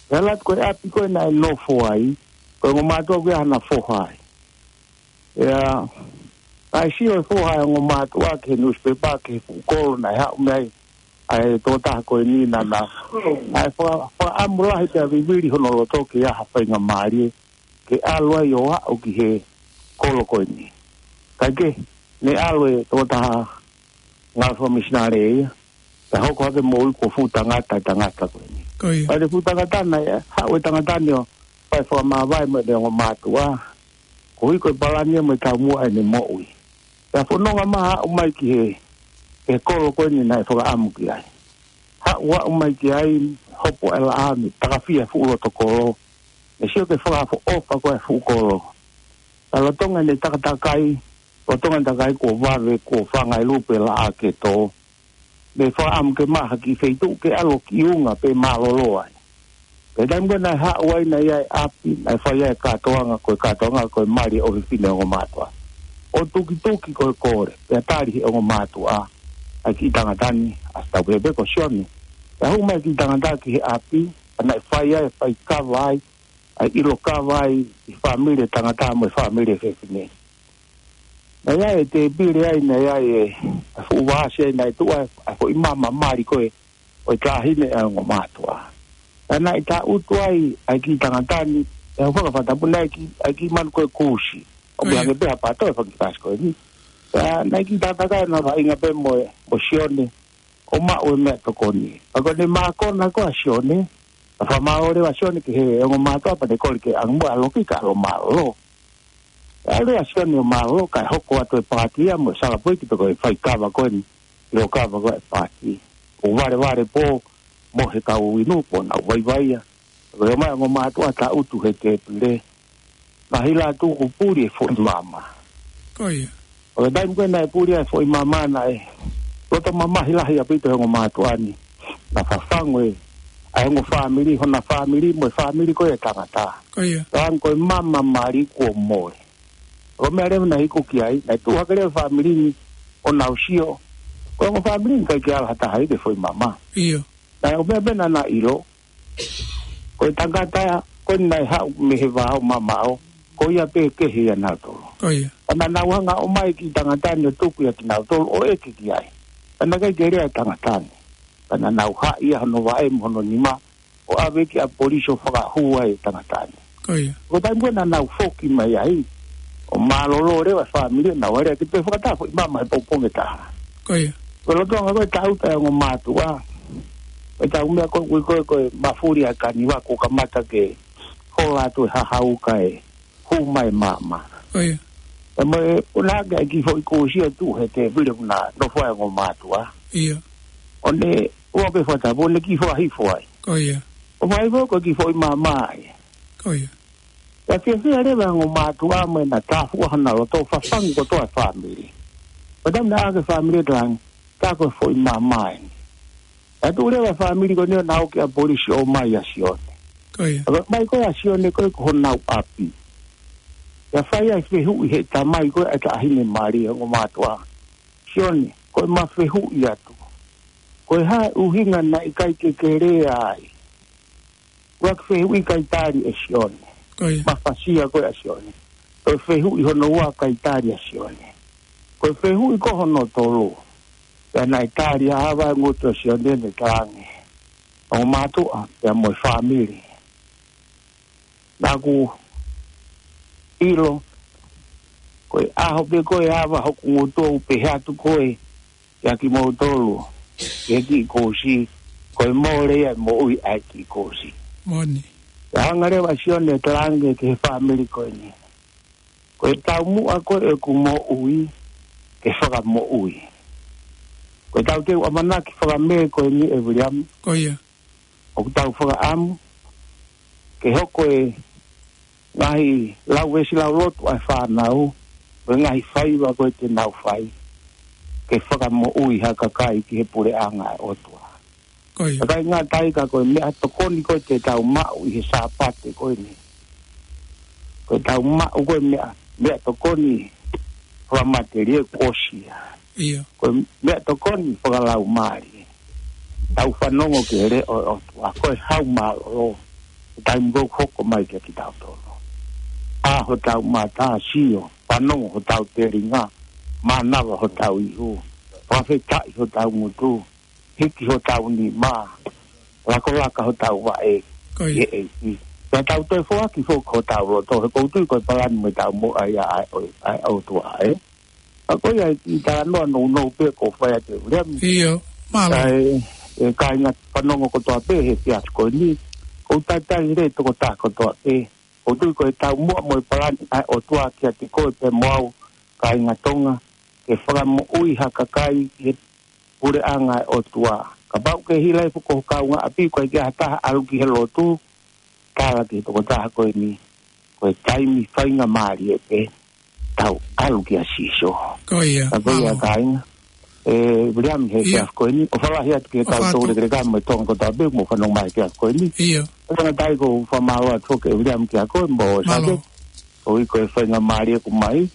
Pea ʻalu atu ko e ʻapi ko ē naʻe nofo ai, ko e ongo mātuʻa ko ia ʻa ʻena foha ai. Pea naʻe sio e foha ʻa e ongo mātuʻa ki he nusipepa, ki he fuʻu kolo naʻe haʻu mei ai ʻa e tokotaha ko eni, naʻa na, naʻe faka-, fakaʻamu lahi pea vivili hono loto ke ʻi ai ha faingamālie ke ʻalu ai ʻo aʻu ki he kolo ko eni. Kae kehe, naʻe ʻalu e tokotaha ngāue fakamisinale ia, pea hoko hake e moʻui kuo fuʻu tangata e tangata ko eni. Ko ia. Pea ko e fuʻu tangata naʻe haʻu e tangata ni ʻo fai fakamāvae mo ʻene ongo mātuʻa, koeʻuhi ko e palani ia mo e taumuʻa ʻene moʻui. Pea fononga mai ʻo aʻu mai ki he, he kolo ko eni naʻe fakaʻamu ki ai. Haʻu ʻo aʻu mai ki ai, hopo e laʻā, naʻe takafia e fuʻu loto kolo. Naʻe sio ki he fakaʻofoʻofa ko ē e fuʻu kolo. Pea lolotonga ʻene takatakai, lolotonga ʻene takatakai kuo vave, kuo fanga e lupe laʻā ke tō. Naʻe fakaʻamu ke maʻu ha kiʻi feituʻu ke ʻalu ʻo kiʻi unga pe mālōlō ai. Pea taimi ko ē naʻe haʻu ai, naʻe ʻi ai e ʻapi, naʻe fai ai e kātoanga, ko e kātoanga ko e mali ʻo e fefine ongo mātuʻa. ʻO tukituki ko e kole, pea tali ʻe he ongo mātuʻa ʻa e kiʻi tangata ni, ʻa Sitaupē pe ko Sione. Pea hū mai e kiʻi tangata ki he ʻapi, pea naʻe fai ai, fai kava ai, ʻa e ʻilo kava ai ʻi he fāmili e tangata mo e fāmili e fefine. Naʻe ʻi ai e tēpile ai, naʻe ʻi ai e, e fuʻu vaasi ai, naʻe tuʻu ai e foʻi mama mali ko ē ʻo e taʻahine ʻa e ongo mātuʻa. Pea naʻe tangutu ai ʻa e kiʻi tangata ni, ʻi he fakafatapu naʻe ki, ʻa e kiʻi manu ko e kusi. ʻO Ko ia. meʻa ange pē ha pato e fanga kiʻi vaasi ko eni. Pea naʻe kiʻi tangata ko ē naʻe vaʻinga pē mo e, mo Sione, ʻo maʻu e meʻatokoni. Pea ko ʻene mākona ko ē ʻa Sione, pea fakamālō leva ʻa Sione ki he ongo mātuʻa pea ne kole ke ʻange muʻa ʻa e loki kae ʻalu ʻo mālōlō. Pea ʻalu ʻa Sione ʻo mālōlō kae hoko atu e paati ia mo e sala poiki pe ko e fai kava ko eni, ʻilo kava ko ē e paati. ʻO valevale pō, mohe e kau inu pō, nau vaivai ia. Ko e ō mai e ongo mātuʻa tangutu he tēpile. Naʻe hila atu ʻo puli e foʻi mama. Ko ia. ʻO e taimi ko ē naʻe puli ai e foʻi mama naʻe loto mamahi lahi ʻaupito e ongo mātuʻa ni. Naʻe fafangu e, ʻa e ongo fāmili, hona fāmili mo e fāmili ko ē e tangata. Ko ia. Pea hangē ko e mama mali kuo mole. Ko e meʻa leva naʻe iku ki ai, naʻe tuʻu hake leva e fāmili ni ʻo nau sio. Ko e ongo fāmili ni ʻikai ke ala ha taha ia ki he foʻi mama. ʻIo. Naʻe ʻomai pē naʻa na ʻilo. Ko e tangata ko ē naʻe haʻu mei he vao mamaʻo, ko ia pē kehe ia nautolu. Ko ia. Pea naʻa nau hanga ʻo ʻomai e kiʻi tangata ni ʻo tuku ia kinautolu ʻo ʻeke ki ai. Pea naʻe ʻikai ke lea e tangata ni. Pea naʻa nau haʻi ia hono vaʻe mo hono nima, ʻo ʻave ki ʻapi polisi ʻo fakahū ai e tangata ni. Ko ia. Ko e taimi ko ē naʻa nau foki mai ai, ʻo mālōlō leva e fāmili, naʻa nau ʻalu atu pē fakataha e foʻi mama he pongipongi ʻe taha. Ko ia. Ko e lolotonga ko ē e tangutu ʻa e ongo mātuʻa, ko e taumuʻa ko ē, ko e, ko e mafuli ʻa e kaniva kuo kamata ke hola atu e hahau kae hū mai e mama. Ko ia. Pea mo e, ʻoku ʻi ai e kiʻi foʻi kusi ʻo tuʻu he tēpile ʻoku na nofo ai e ongo mātuʻa. ʻIo. ʻO ne, ʻoua pē fakatapu, ʻo ne kiʻi fakahifo ai. Ko ia. ʻO fakahifo ko e kiʻi foʻi mama ia. Ko ia. Pea fiefia leva e ongo mātuʻa mo ʻena tāfuʻa hona loto, fafangu kotoa e fāmili. Pea taimi naʻe ʻā hake e fāmili ʻo talaange, tā ko e foʻi mama eni. Pea tuʻu leva e fāmili ko eni ʻo nau ō ki ʻapi polisi ʻo ʻomai ʻa Sione. Ko ia. Pea ʻomai ko ē ʻa Sione ko ē ki honau ʻapi. Pea fai ai e fehuʻi ʻe he tamai ko ē ʻa e taʻahine mali ʻa e ongo mātuʻa. Sione, ko ʻema fehuʻi atu. Ko e hā e ʻuhinga naʻe ʻikai ke ke lea ai? ʻUluaki fehuʻi ʻikai tali ʻe Sione. Ko ia. Mafasia ko ē ʻa Sione. Ko e fehuʻi hono ua ʻikai tali ʻa Sione. Ko e fehuʻi ko hono tolu. Pea naʻe tali ʻa e ava e ngutu ʻo Sione, ne talaange, ongo mātuʻa, pea mo e fāmili. Naʻa ku ʻilo, ko e ʻaho pē ko ē ʻe ava hoku ngutu ʻoku pehē atu ko ē kiate kimoutolu, ki he kiʻi kusi, ko e mole ia e moʻui ʻa e kiʻi kusi. Moʻoni. Pea hanga leva ʻa Sione ʻo talaange ki he fāmili ko eni. Ko e taumuʻa ko ē ʻeku moʻui, ke fakamoʻui. Ko ʻetau teu ʻamanaki fakamē ko eni ʻe Viliami. Ko ia. ʻOku tau fakaʻamu ke hoko e ngaahi lau veesi lauloto ʻa e fānau, mo e ngaahi faiva ko ē te nau fai, ke fakamoʻui ha kakai ki he puleʻanga ʻo e ʻOtua. Ko ia. ʻIkai ngata ai ka ko e meʻatokoni ko ē te tau maʻu ʻi he Sāpate ko eni. Ko ʻetau maʻu ko ē meʻa meʻatokoni fakamatelie kuo ʻosi ia. ʻIo. Ko e meʻatokoni fakalaumālie. Tau fanongo ki he leʻo ʻo e ʻOtua, ko e hau mālōlō. Taimi ʻoku hoko mai kia kitautolu. ʻA hotau mata sio, fanongo hotau telinga, mānava hotau ihu, fakafetaʻi hotau ngutu, hiki hotau nima, lakolaka hotau vaʻe. Ko ia. ʻI he ʻEiki. Pea tau toe foaki foki hotau loto, he ʻoku ou tui ko e palani mo ʻetau moʻui ʻa e, ʻa e, ʻa e ʻOtua, ē. ʻA ko ia ʻi he talanoa nounou pē ʻoku fai atu ʻe Viliami. ʻIo, mālō. Kae, ʻe kāinga fanongo kotoa pē he efiafi ko eni. ʻOku ou talitali lelei e tokotaha kotoa pē. ʻOku ou tui ko e taumuʻa mo e palani ʻa e ʻOtua kiate koe pea mo au, kāinga Tonga, ke fakamoʻui ha kakai ki he puleʻanga ʻo e ʻOtua. Kapau ʻoku ke hila hifo ki ho kaungāʻapi, ʻoku ʻikai ke ʻi ai ha taha ʻalu ki he lotu, tala ki he tokotaha ko eni, ko e taimi faingamālie pē, tau ʻalu kia Sīsū. Ko ia, ʻa ko ia mālō. Kāinga, ʻe Viliami he ʻIo. efiafi ko eni, ʻofa lahi atu ki he ʻOfa atu. kau tau lekeleka mo e Tonga kotoa pē, mou fanongo mai he efiafi ko eni. ʻIo. ʻOku ou talitali ʻoku ou fakamālō atu foki ʻe Viliami kia koe, mo Mālō. Sake. Ko e, ko e faingamālie ʻoku mai.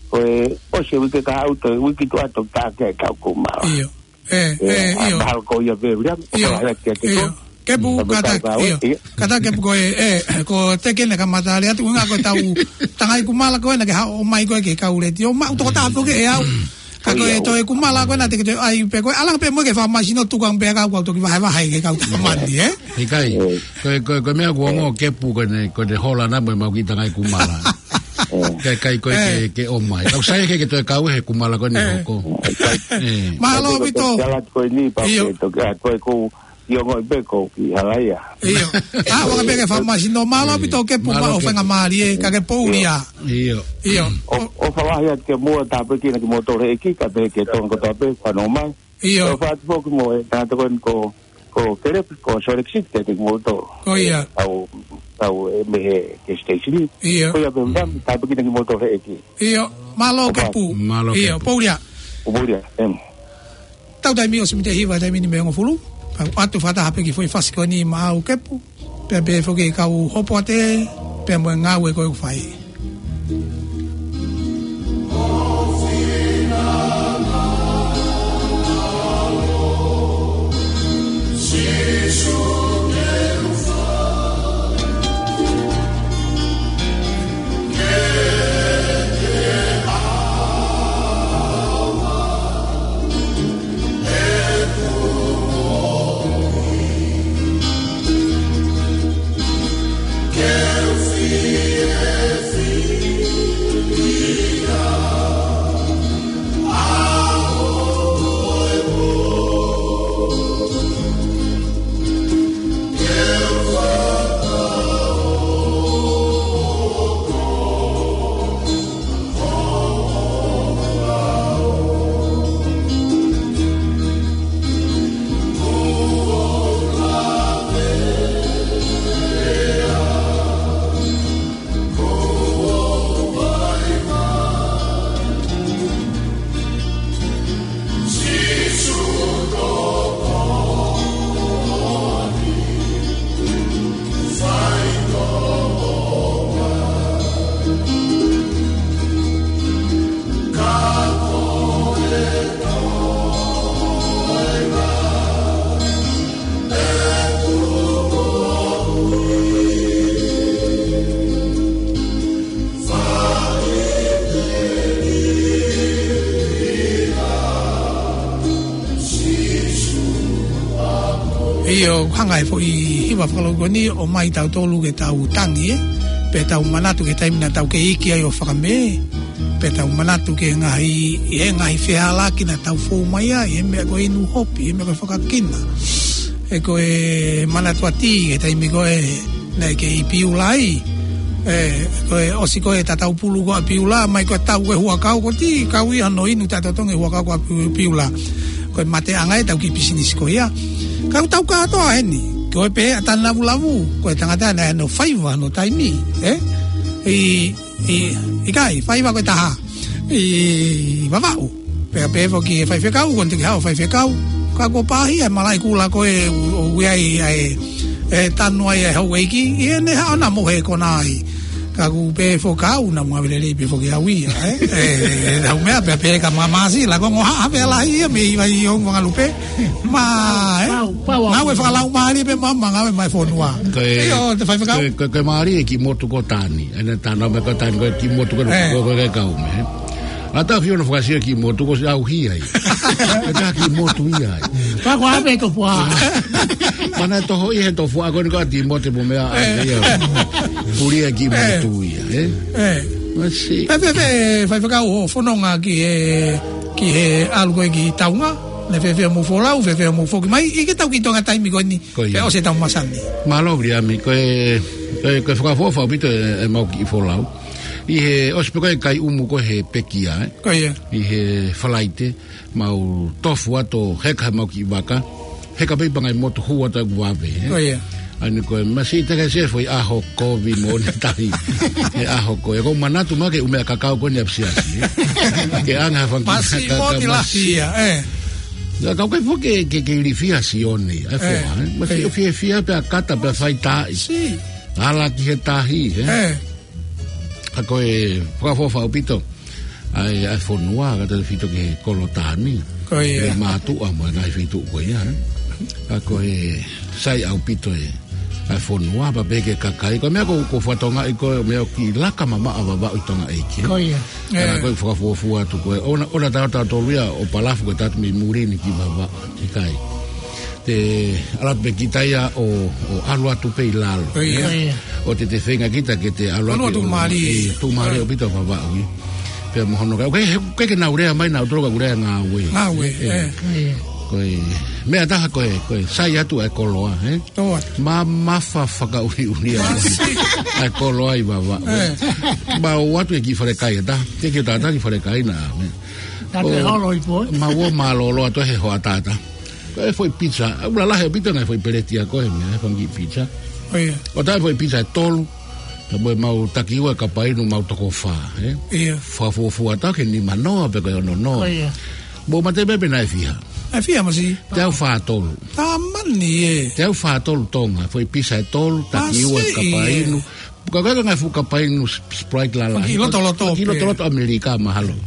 Ko e ʻosi e uike kahaʻu, toe uike tuʻa ʻoku tāke ai ʻetau kumala. ʻIo. ʻE, ʻE, ʻe, ʻa, ʻio. mahalo ko ia pē, Viliami, ʻIo, ʻofa lahi atu kiate ʻio. koe. Kepu, Tapu kata, tau kau, ʻio. ʻIo. Kata kepu ko e, ʻe, ko e teke ne kamata ale atu, ʻuhinga ko ʻetau tangai kumala ko ena ke haʻu mai ko e ke kau leti. ʻO maʻu tokotaha pē ke ʻe au. Ka ko e ʻIo. toe kumala ko ena te ke toe ʻai pē ko e ʻalu ange pē mo e ke fakamasino tuku ange pē kau kau toki vahevahe ke kau tamani, ē? ʻIkai, ʻIo. ko e, ko e, ko e meʻa ʻoku ongo ʻIo. kepu ko eni, ko eni hola na mo e mau ki tangai kumala. ʻIkai, ʻikai ko e ʻIo. ke, ke ʻomai. Kau sai ke, ke toe kau he kumala ko eni ʻIo. hoko. ʻIkai. ʻIo. Mālō ʻApito. Ko e tala ko eni, pau ʻIo. ke toki, ʻa, ko e ʻoku ʻi ongo i pē ʻoku ʻi hala ia. ʻIo. ʻA, ʻuhinga pē ke fakamasino. Mālō ʻApito kepu Mālō maʻu kepu. faingamālie, ka ke poulia. ʻIo. ʻIo. ʻO, ʻofa lahi atu ki muʻa, tāpuekina kimoutolu ʻe he ʻEiki, kae pehē ki he Tonga kotoa pē, fanongo mai. ʻIo. ʻOfa atu foki mo e tangata ko eni ko, ko Kelepi, ko Salt Lake City, kiate kimoutolu. Ko ia. Tau, tau ʻe mei he ke station. ʻIo. Ko ia pē, Viliami, tāpuekina kimoutolu ʻe he ʻEiki. ʻIo. Mālō ʻOfa. kepu. Mālō ʻIo, kepu. poulia. Ko poulia, em. Tau taimi ʻosi mita hiva taimi ni mei he hongofulu. Kau ʻoatu fakataha pē ki he foʻi fasi ko eni maʻau kepu. Pea pehē foki kau hopo atu, pea mo e ngāue ko ē ʻoku fai. ʻIo, hanga ʻe he foʻi hiva fakalūkoni ʻo ʻomai tautolu ke tau tangi, ē? Pea tau manatu ki he taimi naʻa tau kei iiki ai ʻo fakamē, pea tau manatu ki he ngaahi, ʻi he ngaahi fehālaaki naʻa tau fou mai ai, ʻi he meʻa ko e inu hopi, ʻi he meʻa ko e fakakina. ʻE ko e manatuʻi atu ki he taimi ko ē naʻe kei Piula ai. ʻE, ko e ʻosi ko ē tatau pulu ko ē ʻa Piula, mai ko e tau ko ē huʻakau ko ē, kau ia hono inu taʻetotongi huʻakau ko ē ʻa Piu-, Piula. Ko e mateʻanga ē ʻetau kiʻi pisinisi ko ia. Ka ʻoku tau kātoa heni, ko e pehē ʻa Tanavulavu, ko e tangata naʻe ʻi ai hono faiva hono taimi, ē? ʻI, ʻi, ʻikai, faiva ko e taha. ʻI Vavaʻu. Pea pehē foki ʻe he faifekau, ko eni te ke haʻu faifekau. Ka kuo pāhia e malaʻe kula ko ē ʻo, ʻo ui ai ʻa e, ʻe tanu ai ʻa e houʻeiki, ʻi heʻene haʻu ʻo na mohe kona ai. Ka ʻoku pehē foki au naʻa mo ʻave lelei pē foki au ia, ē? ʻE, ʻe, ʻe, ʻe, ʻe, meʻa pē, pē ka ma-, māsila, ko e ongo haʻa pē lahi ia mei, mei he ongo Vakalupe. Ma, ē? Pau, pau, ngāue fakalaumālie pē ma-, ma-, ngāue mai fonua. Ko e, ʻio, te faifekau. Ko e, ko e, ko e mālie e kiʻi motu ko Tani. ʻEne tana me ko Tani, ko e kiʻi motu ko, ē, ko, ko, ko e kau me, ē? ʻA e taʻu fiha ʻo fakaʻosi e kiʻi motu ko ʻosi ʻauhia ai. Ko e kiʻi motu ia ai. Pea ko ʻave e tofuʻa. Mana toho ʻi he tofuʻa ko eni ko ʻa Tīmote mo meʻa ai, ē, ia. Puli e kiʻi, ē, motu ia, ē? Ē. Masi. Pea, pea, pea, faifekau, hoʻo fononga ki he, ki he ʻalu ko ē ki Taunga, naʻe fēfē hoʻomou folau, fēfē hoʻomou foki mai, ʻi he tau kiʻi toenga taimi ko eni, ko ia, pea ʻosi e tau masani. Mālō Viliami, ko e, ko e, ko e fakaʻofoʻofa ʻaupito e, ʻemau kiʻi folau. ʻI he ʻosi pē ko ē kai ʻumu ko ē he pekia, ē? Ko ia. ʻI he Falaite, mau tofu atu ʻo heka he mau kiʻi vaka. Heka pē ʻi he pangai motu hū atu ʻeku vave, ē? Ko ia. ʻA eni ko e masi te ke se foʻi ʻaho kovi mo ʻene tahi. He ʻaho ko ē. Ko e manatu mai ke ʻume ʻa e kakau ko eni ʻapisiasi, ē? Ke ʻanga ha fanga kiʻi masi ka, ka moti lahi masi ia, ē? Naʻa kau kai foki ke, ke, ke ilifia Sione, ʻa e, ē, foha, ē? Masi, ē, ʻo fiefia pea kata pea faitaaʻi. Si. Ala ki he tahi, ē? Ē. Ka ko e fakaʻofoʻofa ʻaupito ʻa e, ʻa e fonua, ka tautefito ki he kolo Tani. Ko ia. ʻI he mātuʻa mo e ngaahi feituʻu ko ia, ē. Ka ko e sai ʻaupito e, ʻa e fonua, pea pehē ki he kakai. Ko e meʻa ko, ko e fatongia ʻi ko e meʻa ʻoku kiʻi laka mamaʻo Vavaʻu ʻi Tonga ʻeiki, ē. Ko ia. Ka, ē, ko e fakafuofua atu ko ē. ʻOua, ʻoua naʻa tau tolu ia ʻo palafu ko e tatu mei muli ni ki Vavaʻu, ʻikai. Te ala pē kita ia ʻo, ʻo ʻalu atu pē ʻi lalo. Ko ia. Ko ia. ʻO te te feinga kita ke te ʻalu atu ʻo tuʻumālie. ʻE, tuʻumālie ʻaupito Vavaʻu ia. Pea mo hono kai. ʻOku ʻikai, ʻoku ʻikai ke nau lea mai nautolu ka ʻoku lea ngāue. Ngāue, ē, ē. Ko e meʻa taha ko e, ko e sai atu ʻa e koloa, ē? Tō atu. Mamafa fakaʻuliʻulia. Masi. ʻA e koloa ʻi Vavaʻu, ē. Ē. Mau ō atu he kiʻi falekai ʻe taha. Te ke tata kiʻi falekai na, ē. Tape holo i poi. Mau ō mālōlō atu he hoʻatā. Ko e foʻi pizza, ʻoku lalahi ʻaupito ngaahi foʻi peleti ʻa ko ē he meʻa, he fanga kiʻi pizza. Ko ia. ʻO taʻe foʻi pizza ʻe tolu, ka mo e mau taki ua e kapa inu mau toko fā, ē? Ia. Fakafuofua taha ke nima noa pe ko e ono noa. Ko ia. Mou mate pē pe naʻe fiha. ʻE fiha masi. Teau fā tolu. Tamani ē. Teau fā tolu Tonga, foʻi pizza ʻe tolu, taki ua e kapa inu. Masi ē. Ka ko e ngaahi fuʻu kapa inu Sp-, Sprite lalahi. Ki lotoloto pē. Ki lotoloto ʻAmelika mahalo.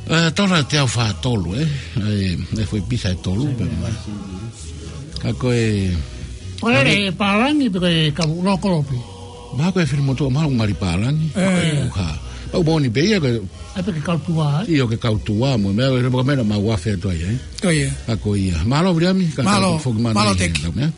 Ē, tola teau fā tolu, ē. ʻE, ʻe foʻi pizza ʻe tolu pē. Ka ko e. Ko e pālangi pe ko e kau lokolopi. Mahalo ko e fili motu, mahalo ngali pālangi. Ē. Ko e uha. Pau moʻoni pē ia ko e. ʻAi pē ke kau tuā, ē? ʻIo ke kau tuā mo e meʻa, ko e meʻa naʻa mau afe atu ai, ē? Ko ia. Ka ko ia. Mālō Viliami, ka mālō, ka foki mana mālō i he Teki. Tau meʻa.